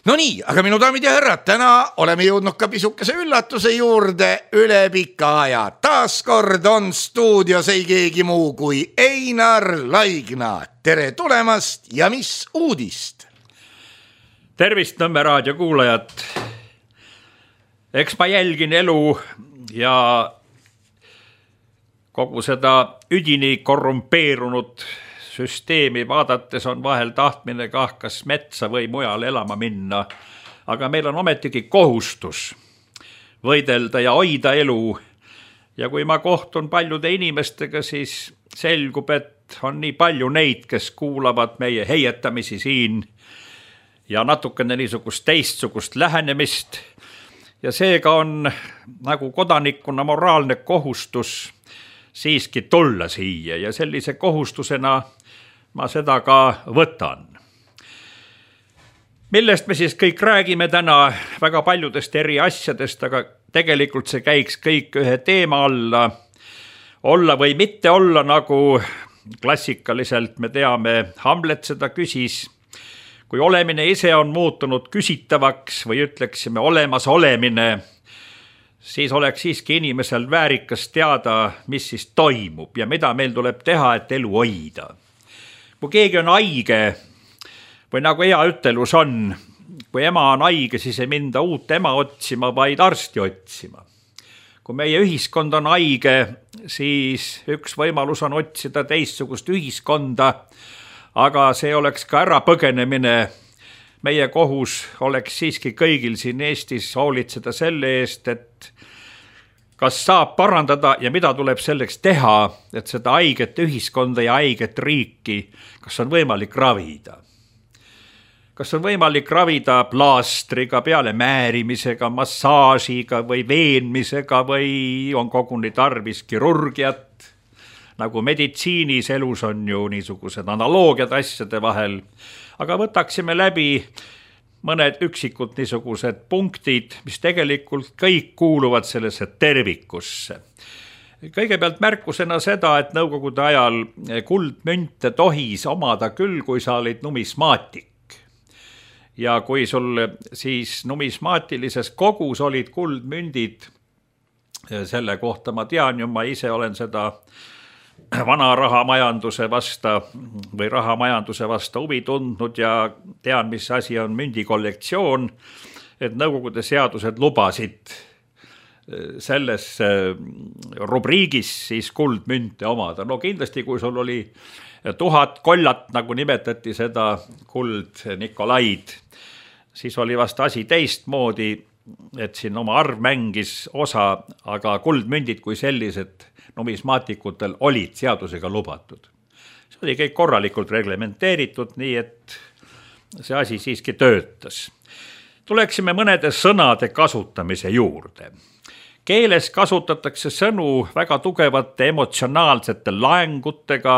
No nii, aga minu daamid ja härrad, täna oleme jõudnud ka pisukese üllatuse juurde üle pika aja. Taaskord on stuudios ei keegi muu kui Einar Laigna. Tere tulemast ja mis uudist? Tervist, Nõmme raadio kuulajad. Eks ma jälgin elu ja kogu seda üdini korrumpeerunud süsteemi vaadates on vahel tahtmine kah kas metsa või mujal elama minna, aga meil on ometigi kohustus võidelda ja hoida elu. Ja kui ma kohtun paljude inimestega, siis selgub, et on nii palju neid, kes kuulavad meie heietamisi siin ja natukene niisugust teistsugust lähenemist. Ja seega on nagu kodanikuna moraalne kohustus siiski tulla siia ja sellise kohustusena ma seda ka võtan. Millest me siis kõik räägime täna? Väga paljudest eri asjadest, aga tegelikult see käiks kõik ühe teema alla. Olla või mitte olla, nagu klassikaliselt me teame, Hamlet seda küsis. Kui olemine ise on muutunud küsitavaks või ütleksime olemas olemine, siis oleks siiski inimesel väärikas teada, mis siis toimub ja mida meil tuleb teha, et elu hoida. Kui keegi on haige või nagu hea ütelus on, kui ema on haige, siis ei minda uut ema otsima, vaid arsti otsima. Kui meie ühiskond on haige, siis üks võimalus on otsida teistsugust ühiskonda, aga see oleks ka ära põgenemine. Meie kohus oleks siiski kõigil siin Eestis hoolitseda selle eest, et kas saab parandada ja mida tuleb selleks teha, et seda haiget ühiskonda ja haiget riiki, kas on võimalik ravida. Kas on võimalik ravida plaastriga, peale määrimisega, massaažiga või veenmisega või on koguni tarvis kirurgiat. Nagu meditsiinis elus on ju niisugused analoogiad asjade vahel, aga võtaksime läbi mõned üksikud niisugused punktid, mis tegelikult kõik kuuluvad sellesse tervikusse. Kõigepealt märkusena seda, et nõukogude ajal kuldmünte tohis omada küll, kui sa olid numismaatik. Ja kui sul siis numismaatilises kogus olid kuldmündid, selle kohta ma tean ju, ma ise olen seda vana rahamajanduse vasta või rahamajanduse vasta huvi tundnud ja tean, mis asi on mündikollektsioon, et nõukogude seadused lubasid selles rubriigis siis kuldmünte omada. No kindlasti, kui sul oli tuhat kollat, nagu nimetati seda kuld Nikolaid, siis oli vast asi teistmoodi, et siin oma arv mängis osa, aga kuldmündid kui sellised numismaatikutel olid seadusega lubatud. See oli kõik korralikult reglementeeritud, nii et see asi siiski töötas. Tuleksime mõnede sõnade kasutamise juurde. Keeles kasutatakse sõnu väga tugevate emotsionaalsete laengutega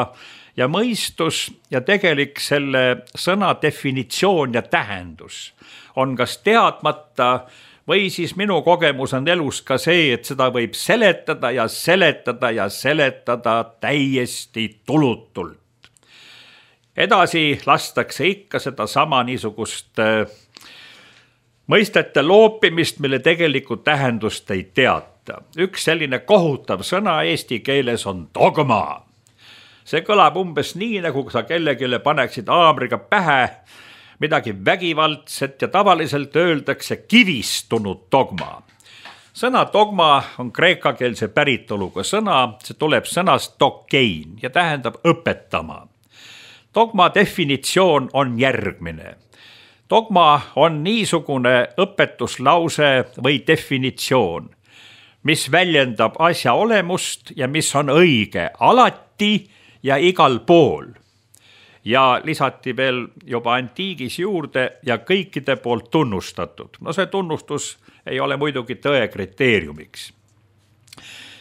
ja mõistus ja tegelik selle sõna definitsioon ja tähendus on kas teadmata või siis minu kogemus on elus ka see, et seda võib seletada ja seletada ja seletada täiesti tulutult. Edasi lastakse ikka seda sama niisugust mõistete loopimist, mille tegelikult tähendust ei teata. Üks selline kohutav sõna eesti keeles on dogma. See kõlab umbes nii, nagu sa kellegile paneksid haamriga pähe midagi vägivaldset ja tavaliselt öeldakse kivistunud dogma. Sõna dogma on kreekakeelse päritoluga sõna, see tuleb sõnast dokein ja tähendab õpetama. Dogma definitsioon on järgmine. Dogma on niisugune õpetuslause või definitsioon, mis väljendab asja olemust ja mis on õige alati ja igal pool. Ja lisati veel juba antiigis juurde ja kõikide poolt tunnustatud. No see tunnustus ei ole muidugi tõe kriteeriumiks.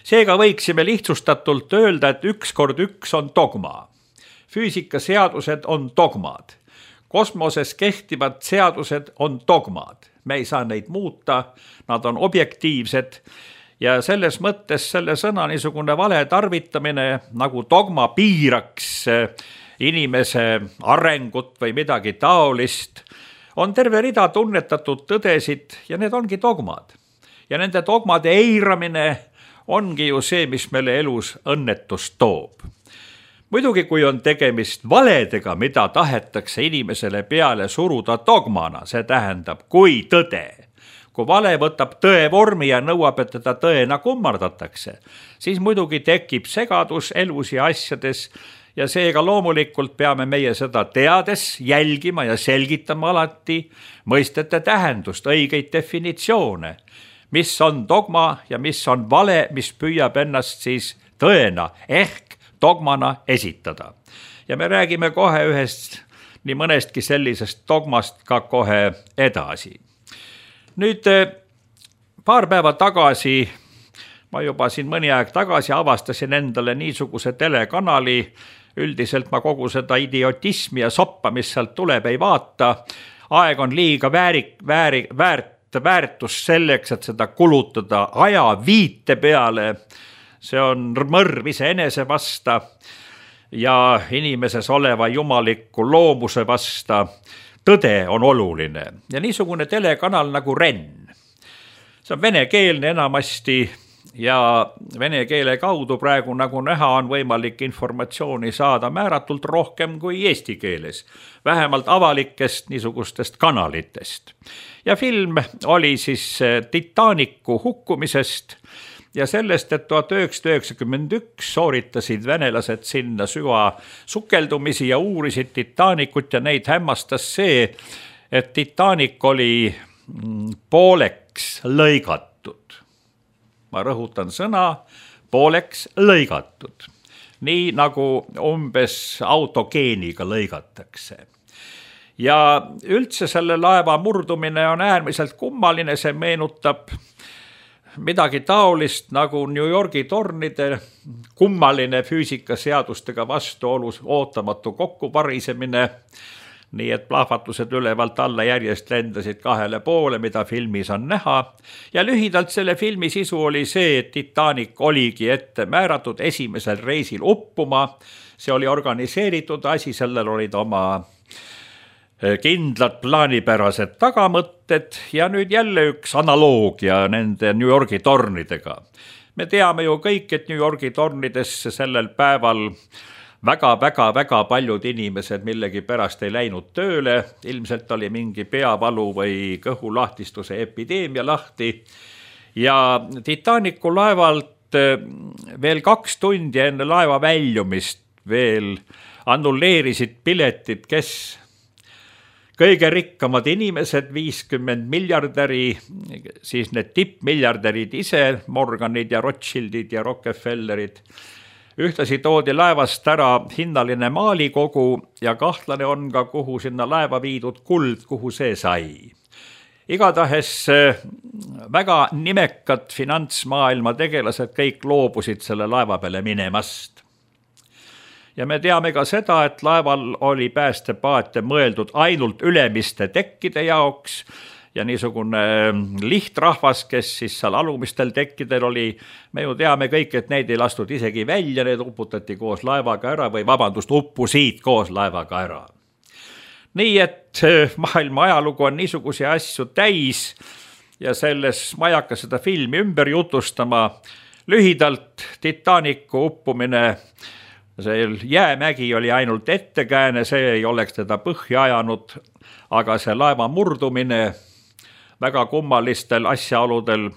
Seega võiksime lihtsustatult öelda, et üks kord üks on dogma. Füüsikaseadused on dogmad. Kosmoses kehtivad seadused on dogmad. Me ei saa neid muuta, nad on objektiivsed ja selles mõttes selle sõna niisugune vale tarvitamine, nagu dogma piiraks inimese arengut või midagi taolist, on terve rida tunnetatud tõdesid ja need ongi dogmad. Ja nende dogmade eiramine ongi ju see, mis meile elus õnnetust toob. Muidugi, kui on tegemist valedega, mida tahetakse inimesele peale suruda dogmana, see tähendab kui tõde. Kui vale võtab tõe vormi ja nõuab, et teda tõena kummardatakse, siis muidugi tekib segadus elus ja asjades ja seega loomulikult peame meie seda teades jälgima ja selgitama alati mõistete tähendust, õigeid definitsioone, mis on dogma ja mis on vale, mis püüab ennast siis tõena ehk dogmana esitada. Ja me räägime kohe ühest nii mõnestki sellisest dogmast ka kohe edasi. Nüüd paar päeva tagasi, ma juba siin mõni aeg tagasi avastasin endale niisuguse telekanali, üldiselt ma kogu seda idiotismi ja soppa, mis sealt tuleb, ei vaata. Aeg on liiga väärik, vääri, väärt, väärtus selleks, et seda kulutada aja viite peale. See on mõrv iseenese vasta ja inimeses oleva jumaliku loomuse vasta. Tõde on oluline ja niisugune telekanal nagu Ren. See on venekeelne enamasti ja vene keele kaudu praegu nagu näha on võimalik informatsiooni saada määratult rohkem kui eesti keeles, vähemalt avalikest niisugustest kanalitest. Ja film oli siis Titanicu hukkumisest ja sellest, et tuhat üheksasada üheksakümmend üks sooritasid venelased sinna süva sukeldumisi ja uurisid Titanicut ja neid hämmastas see, et Titanic oli pooleks lõigatud. Ma rõhutan sõna, pooleks lõigatud. Nii nagu umbes autogeeniga lõigatakse. Ja üldse selle laeva murdumine on äärmiselt kummaline, see meenutab midagi taolist nagu New Yorgi tornide kummaline füüsikaseadustega vastuolus ootamatu kokkuparisemine, nii et plahvatused ülevalt alla järjest lendasid kahele poole, mida filmis on näha. Ja lühidalt selle filmi sisu oli see, et Titanic oligi ette määratud esimesel reisil uppuma. See oli organiseeritud asi, sellel olid oma kindlad plaanipärased tagamõtted ja nüüd jälle üks analoogia nende New Yorgi tornidega. Me teame ju kõik, et New Yorgi tornidesse sellel päeval väga-väga-väga paljud inimesed millegi pärast ei läinud tööle, ilmselt oli mingi peavalu või kõhulahtistuse epideemia lahti ja Titanicu laevalt veel kaks tundi enne laeva väljumist veel annulleerisid piletid, kes kõige rikkamad inimesed, viiskümmend miljardäri, siis need tippmiljardärid ise, Morganid ja Rothschildid ja Rockefellerid. Ühtlasi toodi laevast ära hinnaline maalikogu ja kahtlane on ka, kuhu sinna laeva viidud kuld, kuhu see sai. Igatahes väga nimekad finantsmaailma tegelased kõik loobusid selle laeva peale minemast. Ja me teame ka seda, et laeval oli päästepaate mõeldud ainult ülemiste tekkide jaoks ja niisugune lihtrahvas, kes siis seal alumistel tekkidel oli, me ju teame kõik, et neid ei lastud isegi välja, need uputati koos laevaga ära või vabandust, uppusid koos laevaga ära. nii et maailma ajalugu on niisuguse asju täis ja selles ma ei hakka seda filmi ümber jutustama. Lühidalt Titanicu uppumine, see jäämägi oli ainult ettekääne, see ei oleks teda põhja ajanud, aga see laeva murdumine väga kummalistel asjaoludel.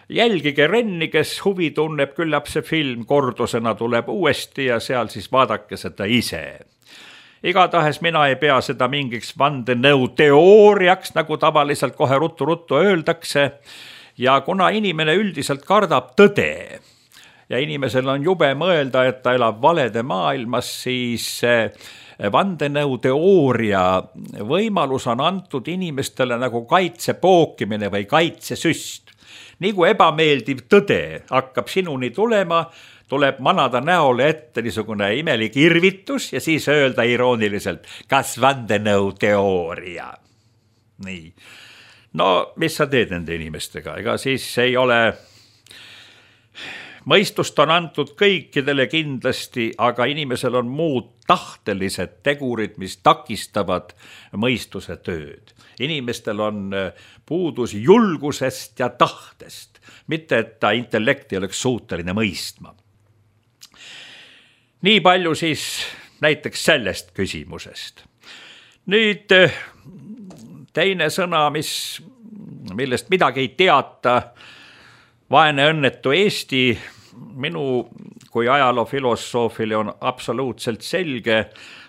Jälgige Renni, kes huvi tunneb, küllap see film kordusena tuleb uuesti ja seal siis vaadake seda ise. Igatahes mina ei pea seda mingiks vandenõu teooriaks, nagu tavaliselt kohe ruttu-ruttu öeldakse. Ja kuna inimene üldiselt kardab tõde ja inimesel on jube mõelda, et ta elab valede maailmas, siis vandenõu teooria võimalus on antud inimestele nagu kaitsepookimine või kaitsesüst. Nii kui ebameeldiv tõde hakkab sinuni tulema, tuleb manada näole ette niisugune imelik irvitus ja siis öelda irooniliselt, kas vandenõu teooria. Nii. No, mis sa teed nende inimestega? Ega siis ei ole, mõistust on antud kõikidele kindlasti, aga inimesel on muud tahtelised tegurid, mis takistavad mõistuse tööd. Inimestel on puudus julgusest ja tahtest, mitte et ta intellekti oleks suuteline mõistma. Nii palju siis näiteks sellest küsimusest. Nüüd teine sõna, mis, millest midagi ei teata, vaene õnnetu Eesti, minu kui ajaloofilosoofile on absoluutselt selge.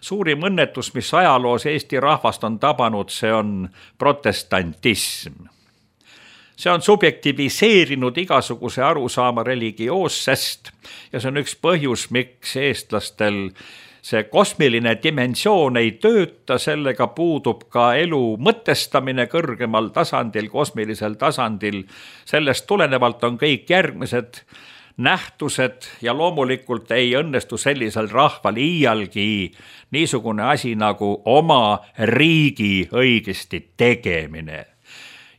Suurim õnnetus, mis ajaloos Eesti rahvast on tabanud, see on protestantism. See on subjektiviseerinud igasuguse arusaama religioossest ja see on üks põhjus, miks eestlastel see kosmiline dimensioon ei tööta, sellega puudub ka elu mõtestamine kõrgemal tasandil, kosmilisel tasandil. Sellest tulenevalt on kõik järgmised nähtused ja loomulikult ei õnnestu sellisel rahval iialgi niisugune asi nagu oma riigi õigesti tegemine.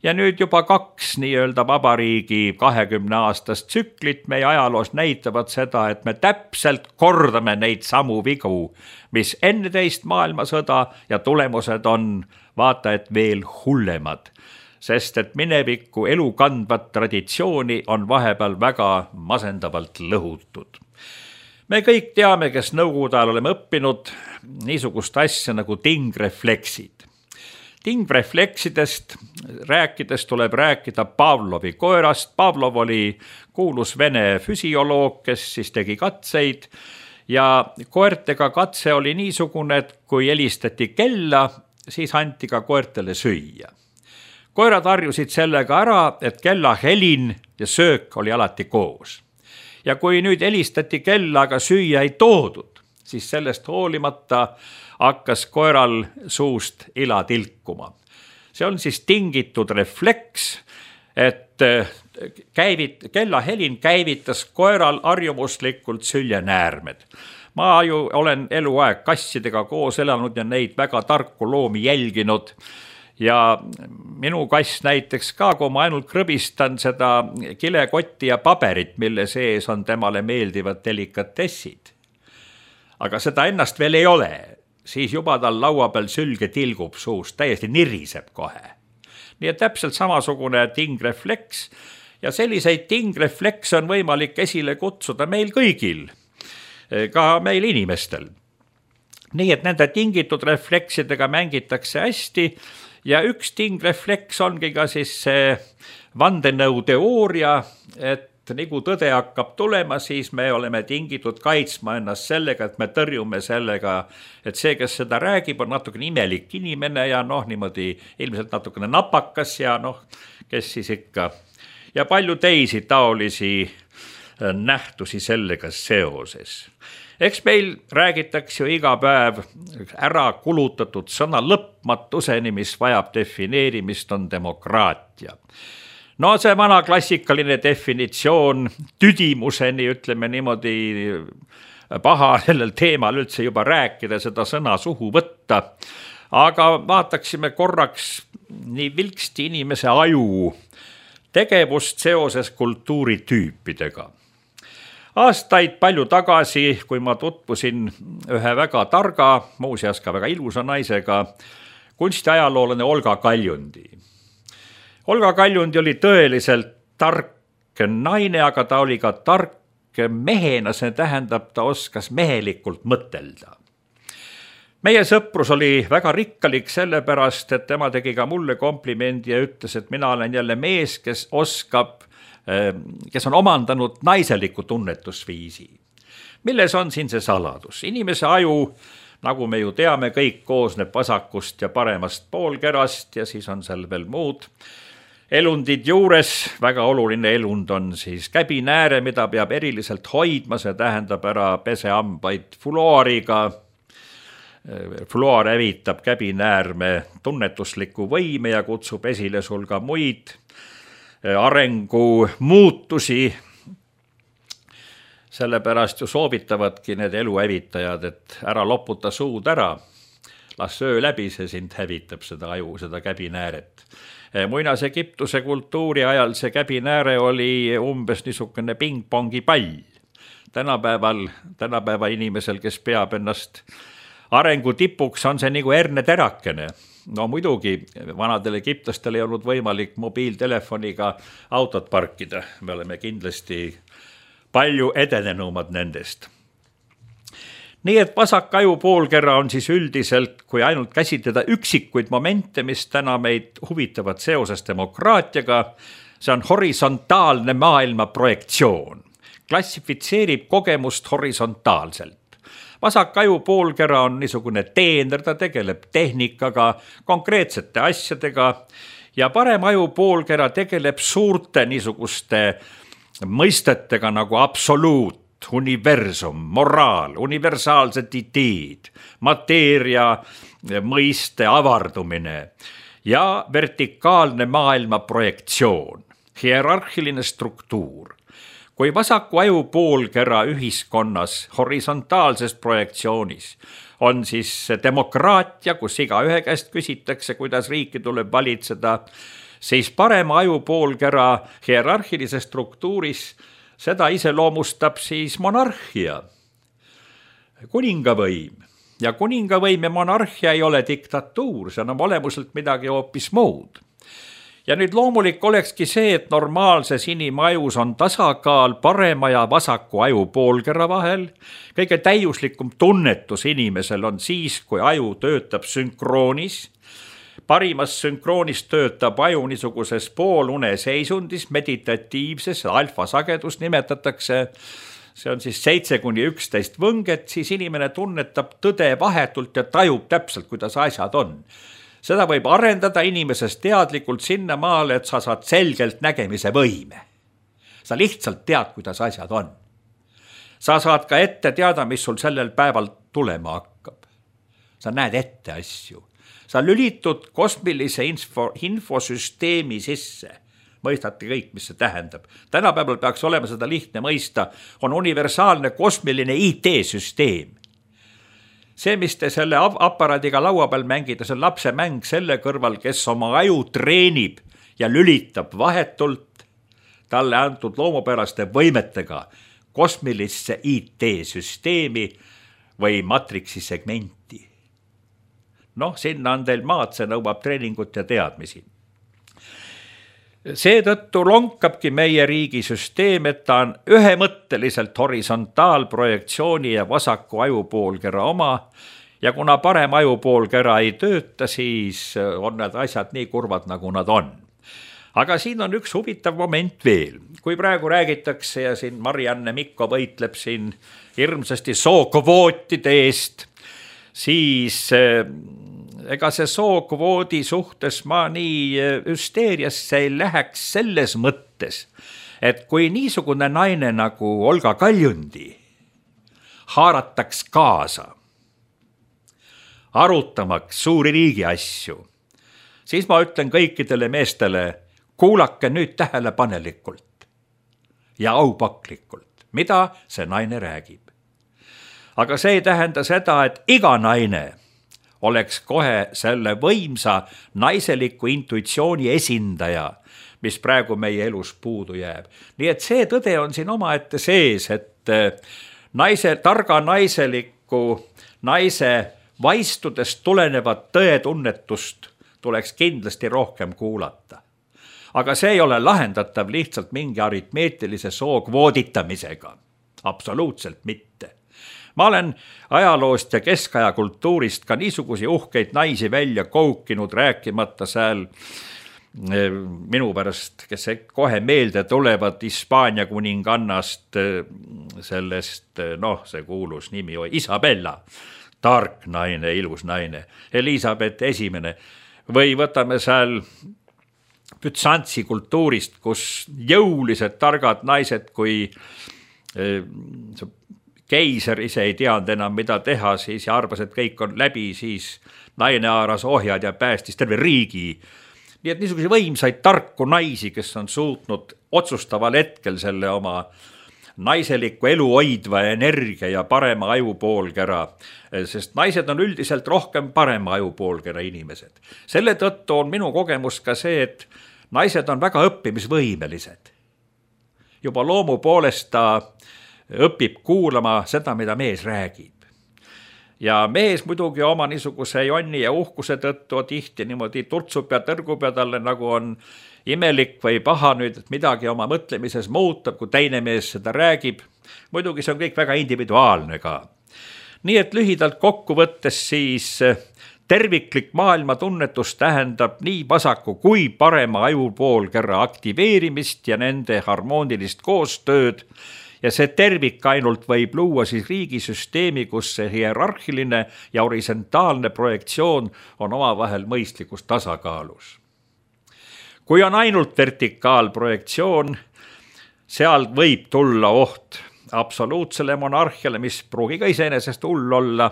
Ja nüüd juba kaks nii-öelda vabariigi kahekümne aastast tsüklit meie ajaloos näitavad seda, et me täpselt kordame neid samu vigu, mis enne teist maailmasõda ja tulemused on vaata et veel hullemad, sest et mineviku elukandvat traditsiooni on vahepeal väga masendavalt lõhutud. Me kõik teame, kes nõukogude ajal oleme õppinud niisugust asja nagu tingrefleksid. Tingrefleksidest rääkides tuleb rääkida Pavlovi koerast. Pavlov oli kuulus vene füsioloog, kes siis tegi katseid ja koertega katse oli niisugune, et kui helistati kella, siis anti ka koertele süüa. Koerad harjusid sellega ära, et kella helin ja söök oli alati koos. Ja kui nüüd helistati kella, aga süüa ei toodud, siis sellest hoolimata hakkas koeral suust ila tilkuma. See on siis tingitud refleks, et käivit, kella helin käivitas koeral harjumuslikult süljenäärmed. Ma ju olen eluaeg kassidega koos elanud ja neid väga tarku loomi jälginud. Ja minu kass näiteks ka, kui ma ainult krõbistan seda kilekotti ja paberit, mille sees on temale meeldivad delikatessid. Aga seda ennast veel ei ole. Siis juba tal laua peal sülge tilgub suust, täiesti niriseb kohe. Nii et täpselt samasugune tingrefleks ja selliseid tingrefleks on võimalik esile kutsuda meil kõigil, ka meil inimestel. Nii et nende tingitud refleksidega mängitakse hästi ja üks tingrefleks ongi ka siis see vandenõu teooria, et nii kui tõde hakkab tulema, siis me oleme tingitud kaitsma ennast sellega, et me tõrjume sellega, et see, kes seda räägib, on natukene imelik inimene ja noh, niimoodi ilmselt natukene napakas ja noh, kes siis ikka. Ja palju teisi taolisi nähtusi sellega seoses. Eks meil räägitakse ju iga päev ära kulutatud sõna lõpmatuseni, mis vajab defineerimist, on demokraatia. No see vana klassikaline definitsioon tüdimuseni, ütleme niimoodi paha sellel teemal üldse juba rääkida, seda sõna suhu võtta. Aga vaataksime korraks nii vilksti inimese aju tegevust seoses kultuuritüüpidega. Aastaid palju tagasi, kui ma tutvusin ühe väga targa, muuseas ka väga ilusa naisega, kunstiajaloolane Olga Kaljundi. Olga Kaljundi oli tõeliselt tark naine, aga ta oli ka tark mehena, see tähendab, ta oskas mehelikult mõtelda. Meie sõprus oli väga rikkalik sellepärast, et tema tegi ka mulle komplimendi ja ütles, et mina olen jälle mees, kes oskab, kes on omandanud naiseliku tunnetusviisi. Milles on siin see saladus? Inimese aju, nagu me ju teame, kõik koosneb vasakust ja paremast poolkerast ja siis on seal veel muud elundid juures. Väga oluline elund on siis käbinääre, mida peab eriliselt hoidma, see tähendab ära pesehambaid fluoriga. Fluor hävitab käbinäärme tunnetusliku võime ja kutsub esile sul ka muid arengu muutusi. Sellepärast ju soovitavadki need eluhävitajad, et ära loputa suud ära, las söö läbi, see sind hävitab seda aju, seda käbinääret. Muinas Egiptuse kultuuri ajal see käbinääre oli umbes niisugune pingpongi pall. Tänapäeval, tänapäeva inimesel, kes peab ennast arengu tipuks, on see nagu herneterakene. No muidugi, vanadel egiptlastel ei olnud võimalik mobiiltelefoniga autot parkida. Me oleme kindlasti palju edenenumad nendest. Nii et vasak aju poolkera on siis üldiselt, kui ainult käsitleda üksikuid momente, mis täna meid huvitavad seoses demokraatiaga, see on horisontaalne maailma projektsioon. Klassifitseerib kogemust horisontaalselt. Vasak aju poolkera on niisugune teener, ta tegeleb tehnikaga, konkreetsete asjadega ja parem aju poolkera tegeleb suurte niisuguste mõistetega nagu absoluut, universum, moraal, universaalsed ideed, mateeria mõiste avardumine ja vertikaalne maailma projektsioon, hierarhiline struktuur. Kui vasaku aju poolkera ühiskonnas horisontaalses projektsioonis on siis demokraatia, kus iga ühe käest küsitakse, kuidas riiki tuleb valitseda, siis parema aju poolkera hierarhilises struktuuris seda iseloomustab siis monarhia, kuningavõim. Ja kuningavõim ja monarhia ei ole diktatuur, see on olemuselt midagi hoopis muud. Ja nüüd loomulik olekski see, et normaalses inimajus on tasakaal parema ja vasaku aju poolkera vahel. Kõige täiuslikum tunnetus inimesel on siis, kui aju töötab sünkroonis. Parimas sünkroonis töötab aju niisuguses poolune seisundis, meditatiivses, alfasagedus nimetatakse. See on siis seitse kuni üksteist võnget, siis inimene tunnetab tõde vahetult ja tajub täpselt, kuidas asjad on. Seda võib arendada inimesest teadlikult sinna maale, et sa saad selgelt nägemise võime. Sa lihtsalt tead, kuidas asjad on. Sa saad ka ette teada, mis sul sellel päeval tulema hakkab. Sa näed ette asju. Sa lülitud kosmilise info, infosüsteemi sisse. Mõistate kõik, mis see tähendab. Tänapäeval peaks olema seda lihtne mõista, on universaalne kosmiline I T-süsteem. See, mis te selle aparaadiga laua peal mängida, see on lapse mäng selle kõrval, kes oma aju treenib ja lülitab vahetult talle antud loomupäraste võimetega kosmilisse I T-süsteemi või matriksi segmenti. Noh, sinna on teil maad, see nõuab treeningut ja teadmisi. Seetõttu lonkabki meie riigi süsteem, et ta on ühemõtteliselt horisontaalprojektsiooni ja vasaku aju poolkera oma ja kuna parem aju poolkera ei tööta, siis on need asjad nii kurvad, nagu nad on. Aga siin on üks huvitav moment veel. Kui praegu räägitakse ja siin Marianne Mikko võitleb siin hirmsasti sookvootide eest, siis ega see sookvoodi suhtes ma nii hüsteeriasse ei läheks selles mõttes, et kui niisugune naine nagu Olga Kaljundi haarataks kaasa, arutamaks suuri riigi asju, siis ma ütlen kõikidele meestele, kuulake nüüd tähelepanelikult ja aupaklikult, mida see naine räägib. Aga see ei tähenda seda, et iga naine oleks kohe selle võimsa naiseliku intuitsiooni esindaja, mis praegu meie elus puudu jääb. Nii et see tõde on siin omaette sees, et et naise, targa naiseliku naise vaistudest tulenevat tõetunnetust tuleks kindlasti rohkem kuulata. Aga see ei ole lahendatav lihtsalt mingi aritmeetilise soo kvooditamisega. Absoluutselt mitte. Ma olen ajaloost ja keskaja kultuurist ka niisugusi uhkeid naisi välja koukinud, rääkimata seal minu pärast, kes kohe meelde tulevad Hispaania kuningannast, sellest, noh, see kuulus nimi oli Isabella, tark naine, ilus naine, Elisabeth esimene, või võtame seal Bütsantsi kultuurist, kus jõulised targad naised, kui keiser ise ei teanud enam, mida teha, siis ja arvas, et kõik on läbi, siis naine haaras ohjad ja päästis terve riigi. Nii et niisuguse võimsaid tarku naisi, kes on suutnud otsustaval hetkel selle oma naiseliku elu hoidva energia ja parema ajupoolkera, sest naised on üldiselt rohkem parema ajupoolkera inimesed. Selle tõttu on minu kogemus ka see, et naised on väga õppimisvõimelised. Juba loomu poolest ta õpib kuulama seda, mida mees räägib. Ja mees muidugi oma niisuguse jonni ja uhkuse tõttu tihti niimoodi turtsub ja tõrgub ja talle nagu on imelik või paha nüüd, et midagi oma mõtlemises muutab, kui teine mees seda räägib. Muidugi see on kõik väga individuaalne ka. Nii et lühidalt kokku võttes siis terviklik maailma tunnetus tähendab nii vasaku kui parema ajupoolkera aktiveerimist ja nende harmoonilist koostööd. Ja see tervik ainult võib luua siis riigisüsteemi, kus see hierarhiline ja horisontaalne projektsioon on omavahel mõistlikus tasakaalus. Kui on ainult vertikaalprojektsioon, seal võib tulla oht absoluutsele monarhiale, mis pruugi ka iseenesest hull olla.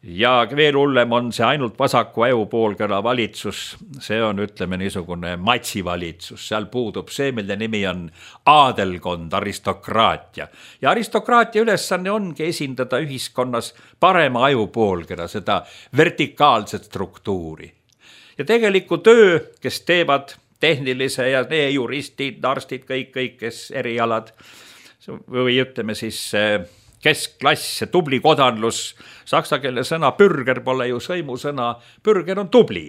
Ja veel hullem on see ainult vasaku ajupoolkera valitsus, see on, ütleme, niisugune matsivalitsus, seal puudub see, mille nimi on aadelkond, aristokraatia. Ja aristokraatia ülesanne ongi esindada ühiskonnas parema ajupoolkera, seda vertikaalset struktuuri. Ja tegeliku töö, kes teevad tehnilise ja need juristid, arstid, kõik, kõik, kes erialad, või ütleme siis keskklass, tubli kodanlus, saksa keele sõna bürger pole ju sõimusõna, bürger on tubli.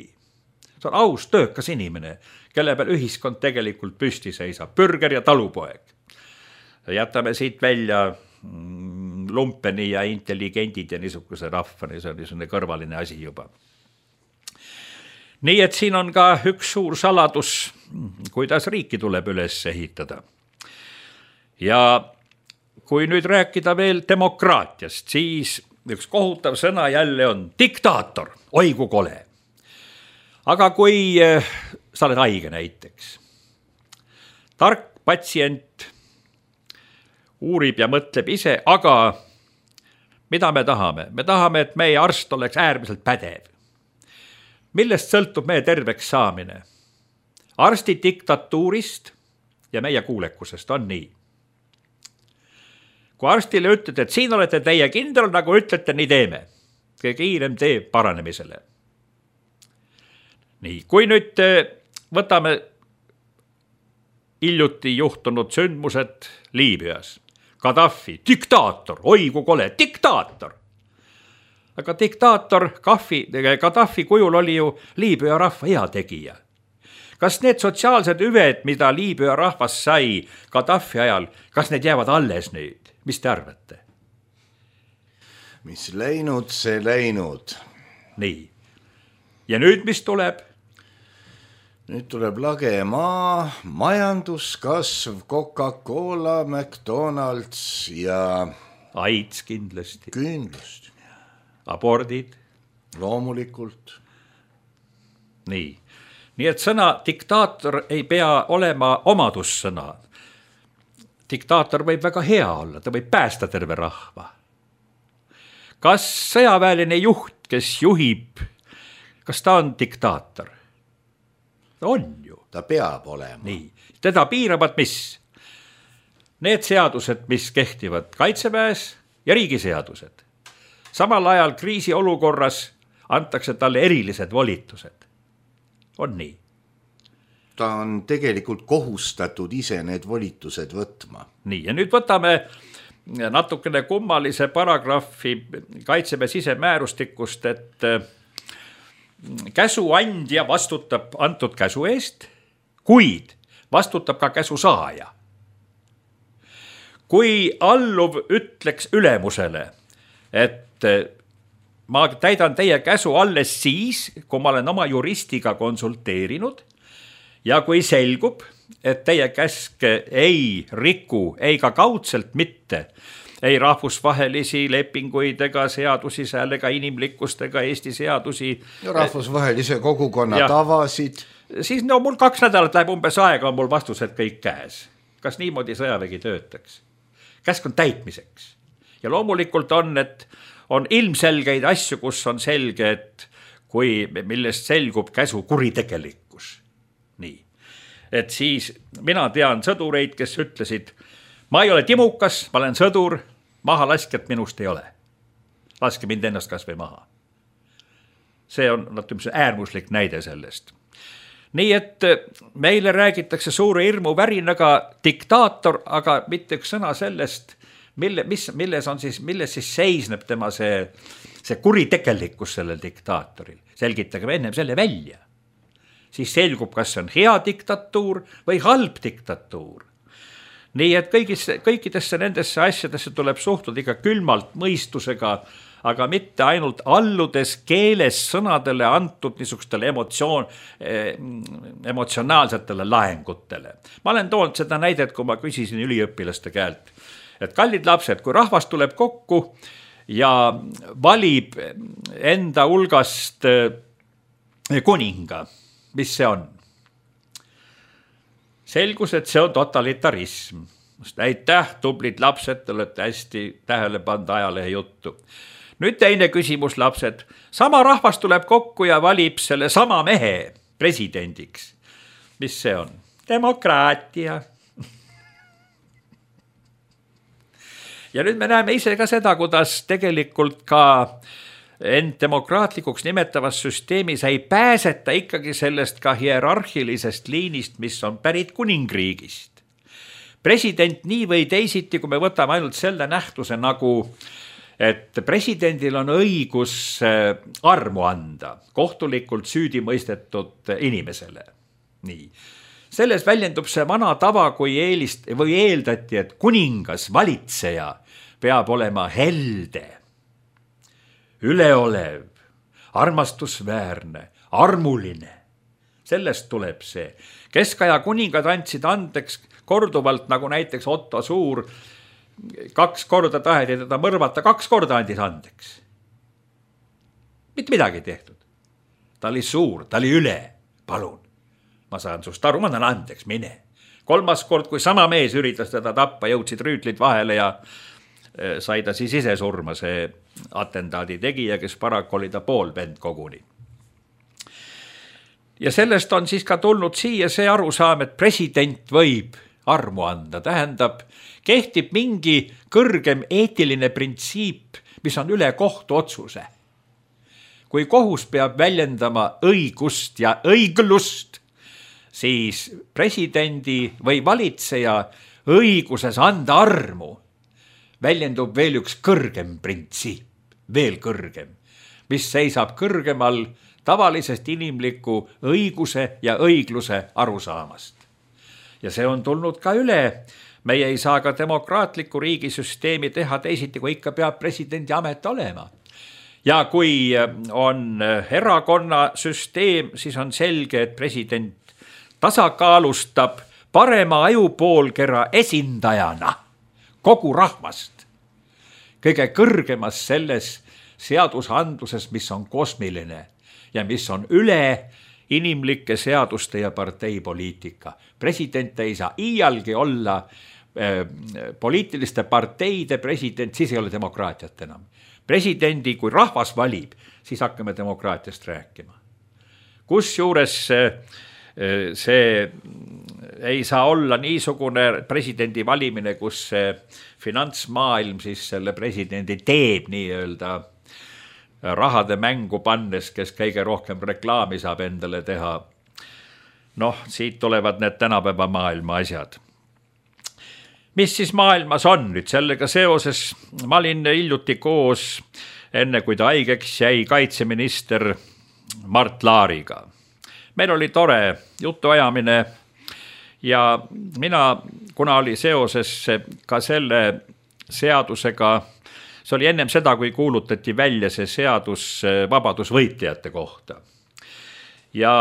See on aus töökas inimene, kelle peal ühiskond tegelikult püsti seisab, bürger ja talupoeg. Jätame siit välja lumpeni ja intelligendid ja niisuguse rahvani, see on niisugune kõrvaline asi juba. Nii et siin on ka üks suur saladus, kuidas riiki tuleb üles ehitada. Ja kui nüüd rääkida veel demokraatiast, siis üks kohutav sõna jälle on diktaator, oi kui kole. Aga kui sa oled haige näiteks, tark patsient uurib ja mõtleb ise, aga mida me tahame? Me tahame, et meie arst oleks äärmiselt pädev. Millest sõltub meie terveks saamine? Arsti diktatuurist ja meie kuulekusest on nii. Kui arstile ütled, et siin olete teie kindel, nagu ütlete, nii teeme. Kõige kiirem tee paranemisele. Nii, kui nüüd võtame hiljuti juhtunud sündmused Liibüas. Gaddafi, diktaator, oi kui kole, diktaator. Aga diktaator Gaddafi kujul oli ju Liibüa rahva heategija. Kas need sotsiaalsed hüved, mida Liibüa rahvas sai Gaddafi ajal, kas need jäävad alles nüüd? Mis te arvate? Mis läinud, see läinud. Nii. Ja nüüd mis tuleb? Nüüd tuleb lage maa, majanduskasv, Coca-Cola, McDonald's ja AIDS kindlasti. Kindlasti. Abordid. Loomulikult. Nii. Nii et sõna diktaator ei pea olema omadussõna. Diktaator võib väga hea olla, ta võib päästa terve rahva. Kas sõjaväeline juht, kes juhib, kas ta on diktaator? Ta on ju. Ta peab olema. Nii. Teda piiravad mis? Need seadused, mis kehtivad kaitseväes ja riigiseadused. Samal ajal kriisiolukorras antakse talle erilised volitused. On nii. Ta on tegelikult kohustatud ise need volitused võtma. Nii, ja nüüd võtame natukene kummalise paragrahvi Kaitseväe sisemäärustikust, et käsuandja vastutab antud käsu eest, kuid vastutab ka käsu saaja. Kui alluv ütleks ülemusele, et ma täidan teie käsu alles siis, kui ma olen oma juristiga konsulteerinud ja kui selgub, et teie käsk ei riku, ei ka kaudselt mitte, ei rahvusvahelisi lepinguid ega seadusi seal ega inimlikkust ega Eesti seadusi. Ja rahvusvahelise kogukonna ja tavasid. Siis no mul kaks nädalat läheb umbes aega, on mul vastused kõik käes. Kas niimoodi sõjavägi töötaks? Käsk on täitmiseks. Ja loomulikult on, et on ilmselgeid asju, kus on selge, et kui millest selgub käsu kuritegelikkus. Nii. Et siis mina tean sõdureid, kes ütlesid, ma ei ole timukas, ma olen sõdur, maha laskjat minust ei ole. Laske mind ennast kas või maha. See on äärmuslik näide sellest. Nii et meile räägitakse suure hirmu värinaga diktaator, aga mitte üks sõna sellest, mille, mis, milles, on siis, milles siis seisneb tema see, see kuritegelikkus sellel diktaatoril. Selgitage ennem selle välja. Siis selgub, kas see on hea diktatuur või halb diktatuur. Nii et kõigis, kõikidesse nendesse asjadesse tuleb suhtuda ikka külmalt mõistusega, aga mitte ainult alludes keeles sõnadele antud niisugustele emotsioon, emotsionaalsetele laengutele. Ma olen toonud seda näidet, kui ma küsisin üliõpilaste käelt, et kallid lapsed, kui rahvas tuleb kokku ja valib enda hulgast kuninga, mis see on? Selgus, et see on totalitarism. Aitäh, tublid lapsed, te olete hästi tähele pannud ajalehe juttu. Nüüd teine küsimus, lapsed. Sama rahvas tuleb kokku ja valib selle sama mehe presidendiks. Mis see on? Demokraatia. Ja nüüd me näeme ise ka seda, kuidas tegelikult ka end demokraatlikuks nimetavas süsteemis ei pääseta ikkagi sellest ka hierarhilisest liinist, mis on pärit kuningriigist. President nii või teisiti, kui me võtame ainult selle nähtuse nagu, et presidendil on õigus armu anda kohtulikult süüdi mõistetud inimesele. Nii. Selles väljendub see vana tava, kui eelist, või eeldati, et kuningas, valitseja peab olema helde, üleolev, armastusväärne, armuline. Sellest tuleb see. Keskaja kuningad andsid andeks korduvalt, nagu näiteks Otto Suur, kaks korda taheti teda mõrvata, kaks korda andis andeks. Mitte midagi tehtud. Ta oli suur, ta oli üle, palun. Ma saan sust aru, ma annan andeks, mine. Kolmas kord, kui sama mees üritas teda tappa, jõudsid rüütlid vahele ja sai ta siis ise surma see atentaadi tegija, kes paraku oli ta pool vend koguni. Ja sellest on siis ka tulnud siia see arusaam, et president võib armu anda. Tähendab, kehtib mingi kõrgem eetiline printsiip, mis on üle kohtu otsuse. Kui kohus peab väljendama õigust ja õiglust, siis presidendi või valitseja õiguses anda armu väljendub veel üks kõrgem printsiip, veel kõrgem, mis seisab kõrgemal tavalisest inimliku õiguse ja õigluse arusaamast. Ja see on tulnud ka üle. Meie ei saa ka demokraatliku riigisüsteemi teha teisiti, kui ikka peab presidendi amet olema. Ja kui on erakonna süsteem, siis on selge, et president tasakaalustab parema ajupoolkera esindajana kogu rahvast, kõige kõrgemas selles seadusandluses, mis on kosmiline ja mis on üle inimlike seaduste ja parteipoliitika. President ei saa iialgi olla äh, poliitiliste parteide president, siis ei ole demokraatiat enam. Presidendi, kui rahvas valib, siis hakkame demokraatiast rääkima. Kusjuures äh, see ei saa olla niisugune presidendi valimine, kus see finantsmaailm siis selle presidendi teeb nii-öelda rahade mängu pannes, kes kõige rohkem reklaami saab endale teha. Noh, siit tulevad need tänapäeva maailma asjad. mis siis maailmas on nüüd sellega seoses? Ma olin hiljuti koos, enne kui ta haigeks jäi, kaitseminister Mart Laariga. Meil oli tore jutuajamine ja mina, kuna oli seoses ka selle seadusega, see oli ennem seda, kui kuulutati välja see seadus vabadusvõitlejate kohta. Ja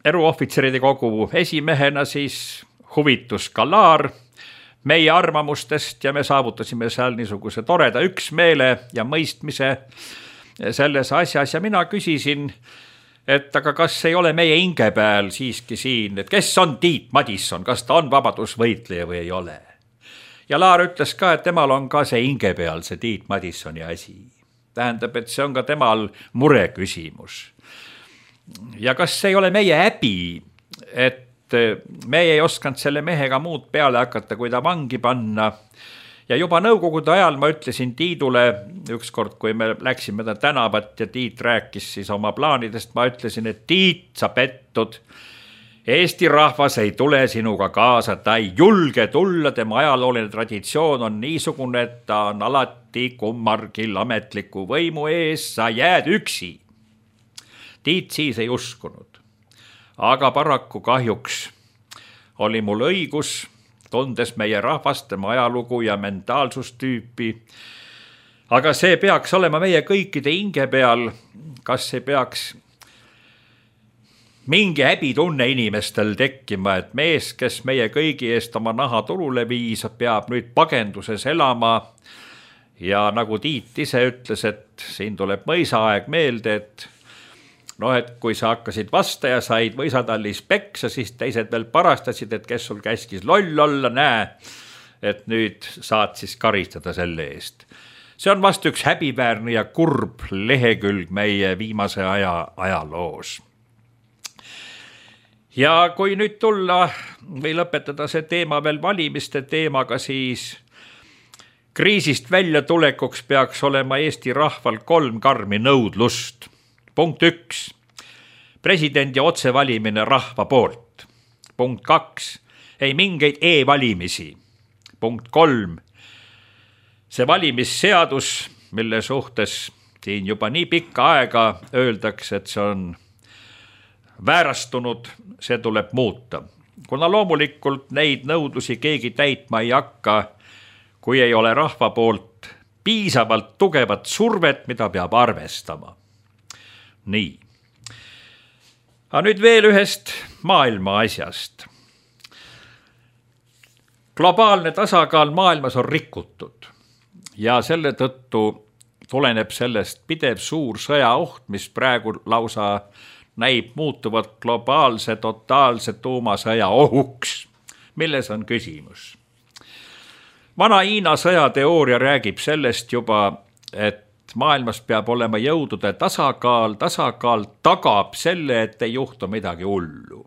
eruohvitseride kogu esimehena siis huvitus ka Laar meie arvamustest ja me saavutasime seal niisuguse toreda üksmeele ja mõistmise selles asjas ja mina küsisin, et aga kas ei ole meie hinge peal siiski siin, et kes on Tiit Madisson, kas ta on vabadusvõitleja või ei ole. Ja Laar ütles ka, et temal on ka see hinge peal, see Tiit Madissoni asi. Tähendab, et see on ka temal mure küsimus. Ja kas ei ole meie häbi, et me ei oskanud selle mehega muud peale hakata, kui ta vangi panna. Ja juba nõukogude ajal ma ütlesin Tiidule, ükskord kui me läksime ta tänavat ja Tiit rääkis siis oma plaanidest, ma ütlesin, et Tiit, sa pettud, Eesti rahvas ei tule sinuga kaasa, ta ei julge tulla, tema ajalooline traditsioon on niisugune, et ta on alati kummargil ametliku võimu ees, sa jääd üksi. Tiit siis ei uskunud, aga paraku kahjuks oli mul õigus, tundes meie rahvast, tema ajalugu ja mentaalsustüüpi. Aga see peaks olema meie kõikide hinge peal, kas see peaks mingi häbitunne inimestel tekkima, et mees, kes meie kõigi eest oma naha turule viis, peab nüüd pagenduses elama. Ja nagu Tiit ise ütles, et siin tuleb mõisaaeg meelde, et noh, et kui sa hakkasid vasta ja said mõisatallis peksa, siis teised veel parastasid, et kes sul käskis loll olla, näe, et nüüd saad siis karistada selle eest. See on vast üks häbiväärne ja kurb lehekülg meie viimase aja ajaloos. Ja kui nüüd tulla või lõpetada see teema veel valimiste teemaga, siis kriisist välja tulekuks peaks olema Eesti rahval kolm karmi nõudlust. Punkt üks, presidendi otsevalimine rahva poolt. Punkt kaks, ei mingeid e-valimisi. Punkt kolm, see valimisseadus, mille suhtes siin juba nii pikka aega öeldakse, et see on väärastunud, see tuleb muuta. Kuna loomulikult neid nõudlusi keegi täitma ei hakka, kui ei ole rahva poolt piisavalt tugevat survet, mida peab arvestama. Nii. Aga nüüd veel ühest maailma asjast. Globaalne tasakaal maailmas on rikutud ja selle tõttu tuleneb sellest pidev suur sõjaoht, mis praegu lausa näib muutuvat globaalse totaalse tuumasõja ohuks. Milles on küsimus? Vana Hiina sõjateooria räägib sellest juba, et maailmas peab olema jõudude tasakaal, tasakaal tagab selle, et ei juhtu midagi hullu.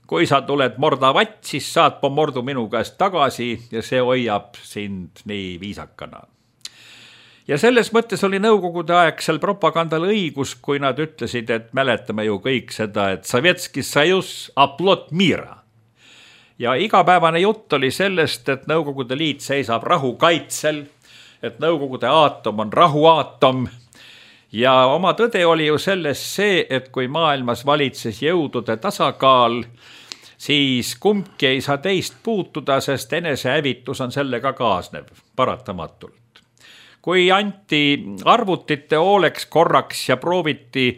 Kui sa tuled mordavatt, siis saad pomordu minu käest tagasi ja see hoiab sind nii viisakana. Ja selles mõttes oli nõukogude aegsel propagandal õigus, kui nad ütlesid, et mäletame ju kõik seda, et Sovetski Sajus aplot mira. Ja igapäevane jutt oli sellest, et Nõukogude Liit seisab rahu kaitsel, et Nõukogude aatom on rahuaatom. Ja oma tõde oli ju selles see, et kui maailmas valitses jõudude tasakaal, siis kumbki ei saa teist puutuda, sest enesehävitus on sellega kaasnev paratamatult. Kui anti arvutite hooleks korraks ja prooviti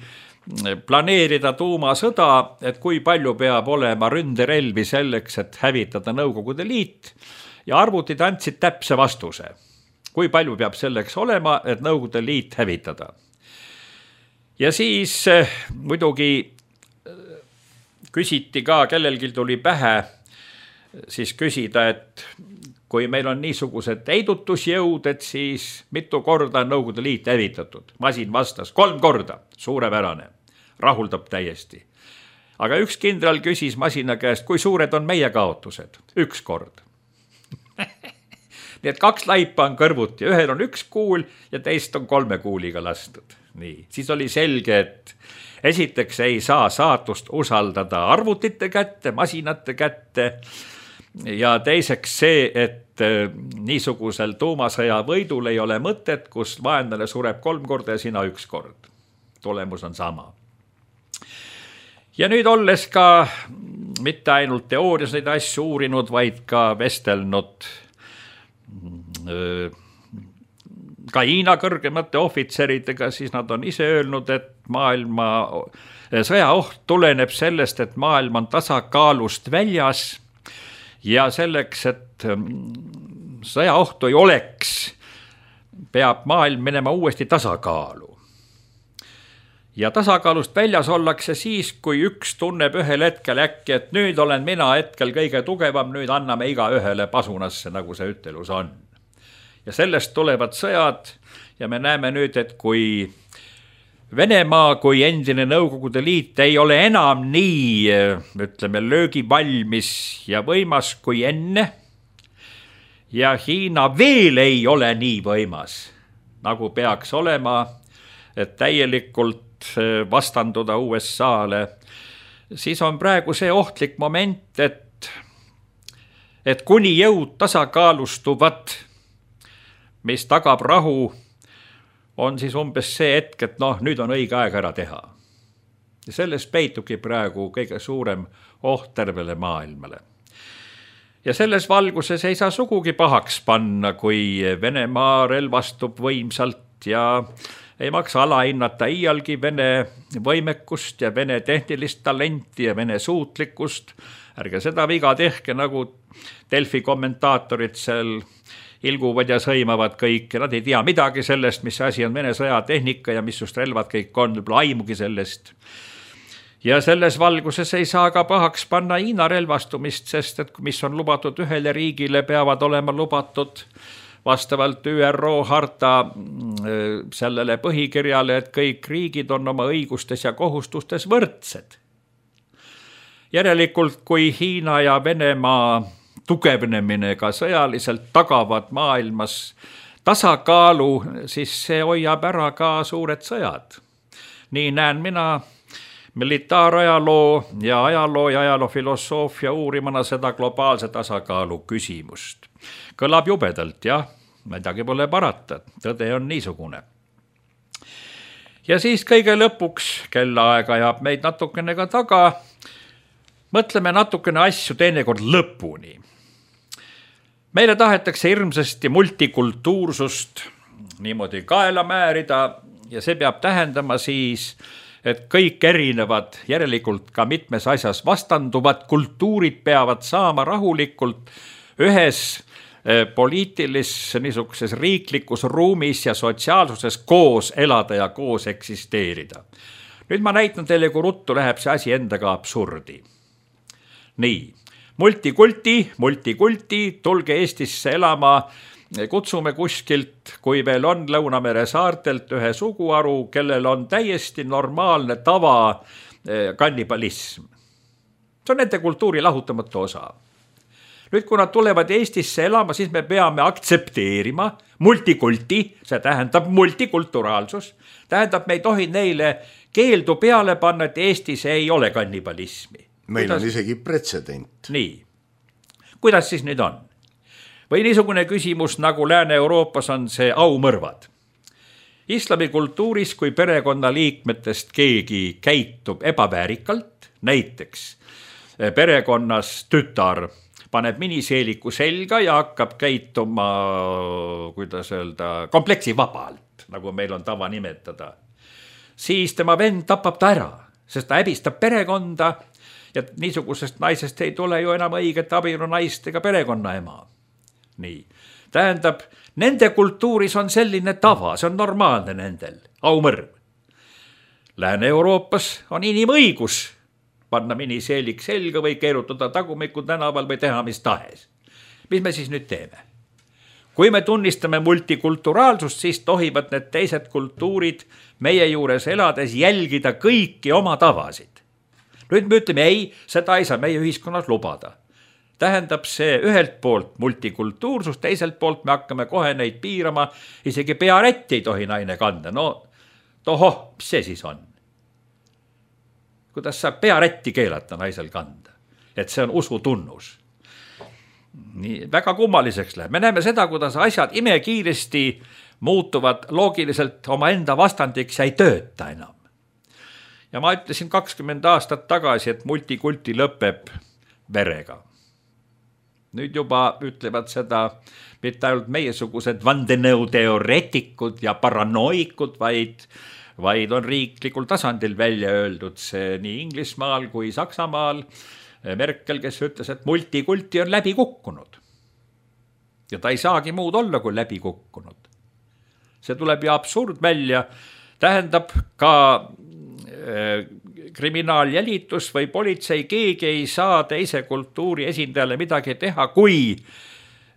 planeerida tuumasõda, et kui palju peab olema ründerelvi selleks, et hävitada Nõukogude Liit, ja arvutid andsid täpse vastuse, kui palju peab selleks olema, et Nõukogude Liit hävitada. Ja siis muidugi küsiti ka, kellelgi tuli pähe siis küsida, et kui meil on niisugused heidutusjõud, et siis mitu korda on Nõukogude Liit hävitatud. Masin vastas kolm korda, suurepärane, rahuldab täiesti. Aga üks kindral küsis masina käest, kui suured on meie kaotused? Üks kord. Nii et kaks laipa on kõrvuti, ühel on üks kuul ja teist on kolme kuuliga lastud. nii, siis oli selge, et esiteks ei saa saatust usaldada arvutite kätte, masinate kätte ja teiseks see, et niisugusel tuumasõja võidul ei ole mõtet, kus vaenlane sureb kolm korda ja sina üks kord. Tulemus on sama. Ja nüüd olles ka mitte ainult teoorias neid asju uurinud, vaid ka vestelnud ka Hiina kõrgemate ohvitseridega, siis nad on ise öelnud, et maailma sõjaoht tuleneb sellest, et maailm on tasakaalust väljas ja selleks, et sõjaohtu ei oleks, peab maailm minema uuesti tasakaalu. Ja tasakaalust väljas ollakse siis, kui üks tunneb ühel hetkel äkki, et nüüd olen mina hetkel kõige tugevam, nüüd anname iga ühele pasunasse, nagu see ütelus on. Ja sellest tulevad sõjad ja me näeme nüüd, et kui Venemaa kui endine Nõukogude Liit ei ole enam nii, ütleme, löögivalmis ja võimas kui enne ja Hiina veel ei ole nii võimas, nagu peaks olema, et täielikult vastanduda U S A-le, siis on praegu see ohtlik moment, et, et kuni jõud tasakaalustuvad, mis tagab rahu, on siis umbes see hetk, et noh, nüüd on õige aeg ära teha. Ja sellest peitugi praegu kõige suurem oht tervele maailmale. Ja selles valguses ei saa sugugi pahaks panna, kui Venemaa relvastub võimsalt ja ei maksa alahinnata iialgi Vene võimekust ja Vene tehnilist talenti ja Vene suutlikkust. Ärge seda viga tehke, nagu Delfi kommentaatorid seal ilguvad ja sõimavad kõik ja nad ei tea midagi sellest, mis asi on Vene sõjatehnika ja mis just relvad kõik on, aimugi sellest. Ja selles valguses ei saa ka pahaks panna Hiina relvastumist, sest et mis on lubatud ühele riigile, peavad olema lubatud vastavalt Ü R O harta sellele põhikirjale, et kõik riigid on oma õigustes ja kohustustes võrdsed. Järelikult, kui Hiina ja Venemaa tugevnemine ka sõjaliselt tagavad maailmas tasakaalu, siis see hoiab ära ka suured sõjad. Nii näen mina militaarajaloo ja ajaloo ja ajaloofilosoofia uurimana seda globaalse tasakaalu küsimust. Kõlab jubedalt, jah, midagi pole parata, tõde on niisugune. Ja siis kõige lõpuks, kellaaega jääb meid natukene ka taga, mõtleme natukene asju teinekord lõpuni. Meile tahetakse hirmsasti multikultuursust niimoodi kaela määrida ja see peab tähendama siis, et kõik erinevad, järelikult ka mitmes asjas vastanduvad kultuurid peavad saama rahulikult ühes poliitilis niisuguses riiklikus ruumis ja sotsiaalsuses koos elada ja koos eksisteerida. Nüüd ma näitan teile, kui ruttu läheb see asi endaga absurdi. Nii. Multikulti, multikulti, tulge Eestisse elama, kutsume kuskilt, kui veel on Lõunamere saartelt ühe suguharu, kellel on täiesti normaalne tava kannibalism. See on nende kultuuri lahutamatu osa. Nüüd, kui nad tulevad Eestisse elama, siis me peame aktsepteerima multikulti, see tähendab multikulturaalsus, tähendab, me ei tohi neile keeldu peale panna, et Eestis ei ole kannibalismi. Meil kuidas... on isegi pretsedent. Nii. Kuidas siis nüüd on? Või niisugune küsimus, nagu Lääne-Euroopas on see aumõrvad. Islami kultuuris, kui perekonna liikmetest keegi käitub ebaväärikalt, näiteks perekonnas tütar paneb miniseeliku selga ja hakkab käituma, kuidas öelda, kompleksi vabalt, nagu meil on tava nimetada, siis tema vend tapab ta ära, sest ta häbistab perekonda ja niisugusest naisest ei tule ju enam õiget abielu naist ega perekonna ema. Nii. Tähendab, nende kultuuris on selline tava, see on normaalne nendel, aumõrv. Lääne-Euroopas on inimõigus panna miniseelik selga või keerutada tagumiku tänaval või teha mis tahes. Mis me siis nüüd teeme? Kui me tunnistame multikulturaalsust, siis tohivad need teised kultuurid meie juures elades jälgida kõiki oma tavasid. Nüüd me ütleme, ei, seda ei saa meie ühiskonnas lubada. Tähendab see ühelt poolt multikultuursus, teiselt poolt me hakkame kohe neid piirama, isegi pearätti ei tohi naine kanda. No tohoh, mis see siis on? Kuidas saab pearätti keelata naisel kanda, et see on usutunnus. Nii, väga kummaliseks läheb. Me näeme seda, kuidas asjad imekiiresti muutuvad loogiliselt oma enda vastandiks ja ei tööta enam. Ja ma ütlesin kakskümmend aastat tagasi, et multikulti lõpeb verega. Nüüd juba ütlevad seda mitte ainult meiesugused vandenõuteoreetikud ja paranoikud, vaid, vaid on riiklikul tasandil välja öeldud see nii Inglismaal kui Saksamaal. Merkel, kes ütles, et multikulti on läbi kukkunud. Ja ta ei saagi muud olla kui läbi kukkunud. See tuleb ju absurd välja. Tähendab ka äh, kriminaaljälitus või politsei, keegi ei saa teise kultuuri esindajale midagi teha, kui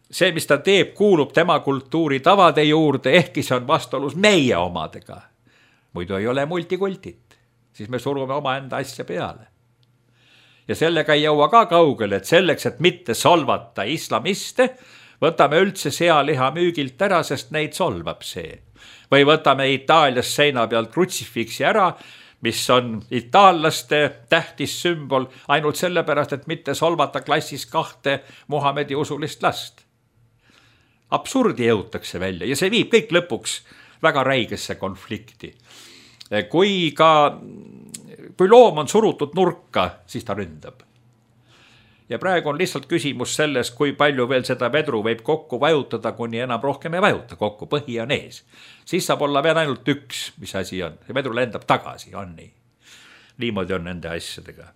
see, mis ta teeb, kuulub tema kultuuri tavade juurde, ehkki see on vastuolus meie omadega. Muidu ei ole multikultit. Siis me surume omaenda asja peale. Ja sellega ei jõua ka kaugele, et selleks, et mitte solvata islamiste, võtame üldse sealiha müügilt ära, sest neid solvab see. Või võtame Itaalias seina pealt krutsifiksi ära, mis on itaallaste tähtis sümbol ainult sellepärast, et mitte solvata klassis kahte Muhamedi usulist last. Absurdi jõutakse välja ja see viib kõik lõpuks väga räigesse konflikti. Kui ka kui loom on surutud nurka, siis ta ründab. Ja praegu on lihtsalt küsimus selles, kui palju veel seda vedru võib kokku vajutada, kuni enam rohkem ei vajuta kokku, põhi on ees. Siis saab olla veel ainult üks, mis asi on. See vedru lendab tagasi, on nii. Niimoodi on nende asjadega.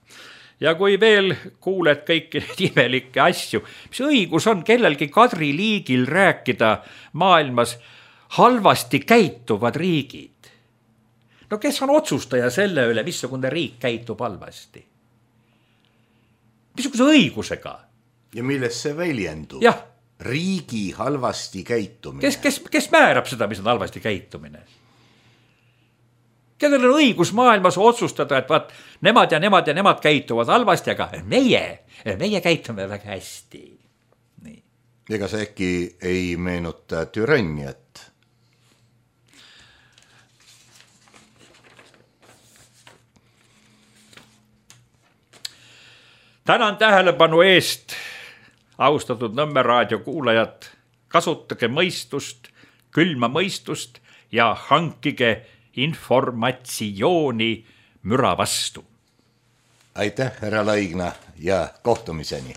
Ja kui veel kuuled kõiki neid imelikke asju, mis õigus on kellelgi Kadri liigil rääkida maailmas halvasti käituvad riigid. No kes on otsustaja selle üle, missugune riik käitub halvasti? Missuguse õigusega? Ja milles see väljendub? Jah. Riigi halvasti käitumine. Kes, kes, kes määrab seda, mis on halvasti käitumine? Kellel on õigus maailmas otsustada, et vaat, nemad ja nemad ja nemad käituvad halvasti, aga meie, meie käitume väga hästi. Nii. Ega see äkki ei meenuta türanniat? Tänan tähelepanu eest, austatud Nõmme raadio kuulajad, kasutage mõistust, külma mõistust ja hankige informatsiooni müra vastu. Aitäh, härra Laigna ja kohtumiseni.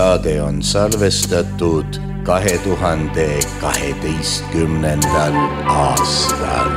saade on salvestatud kahe tuhande kaheteistkümnendal aastal.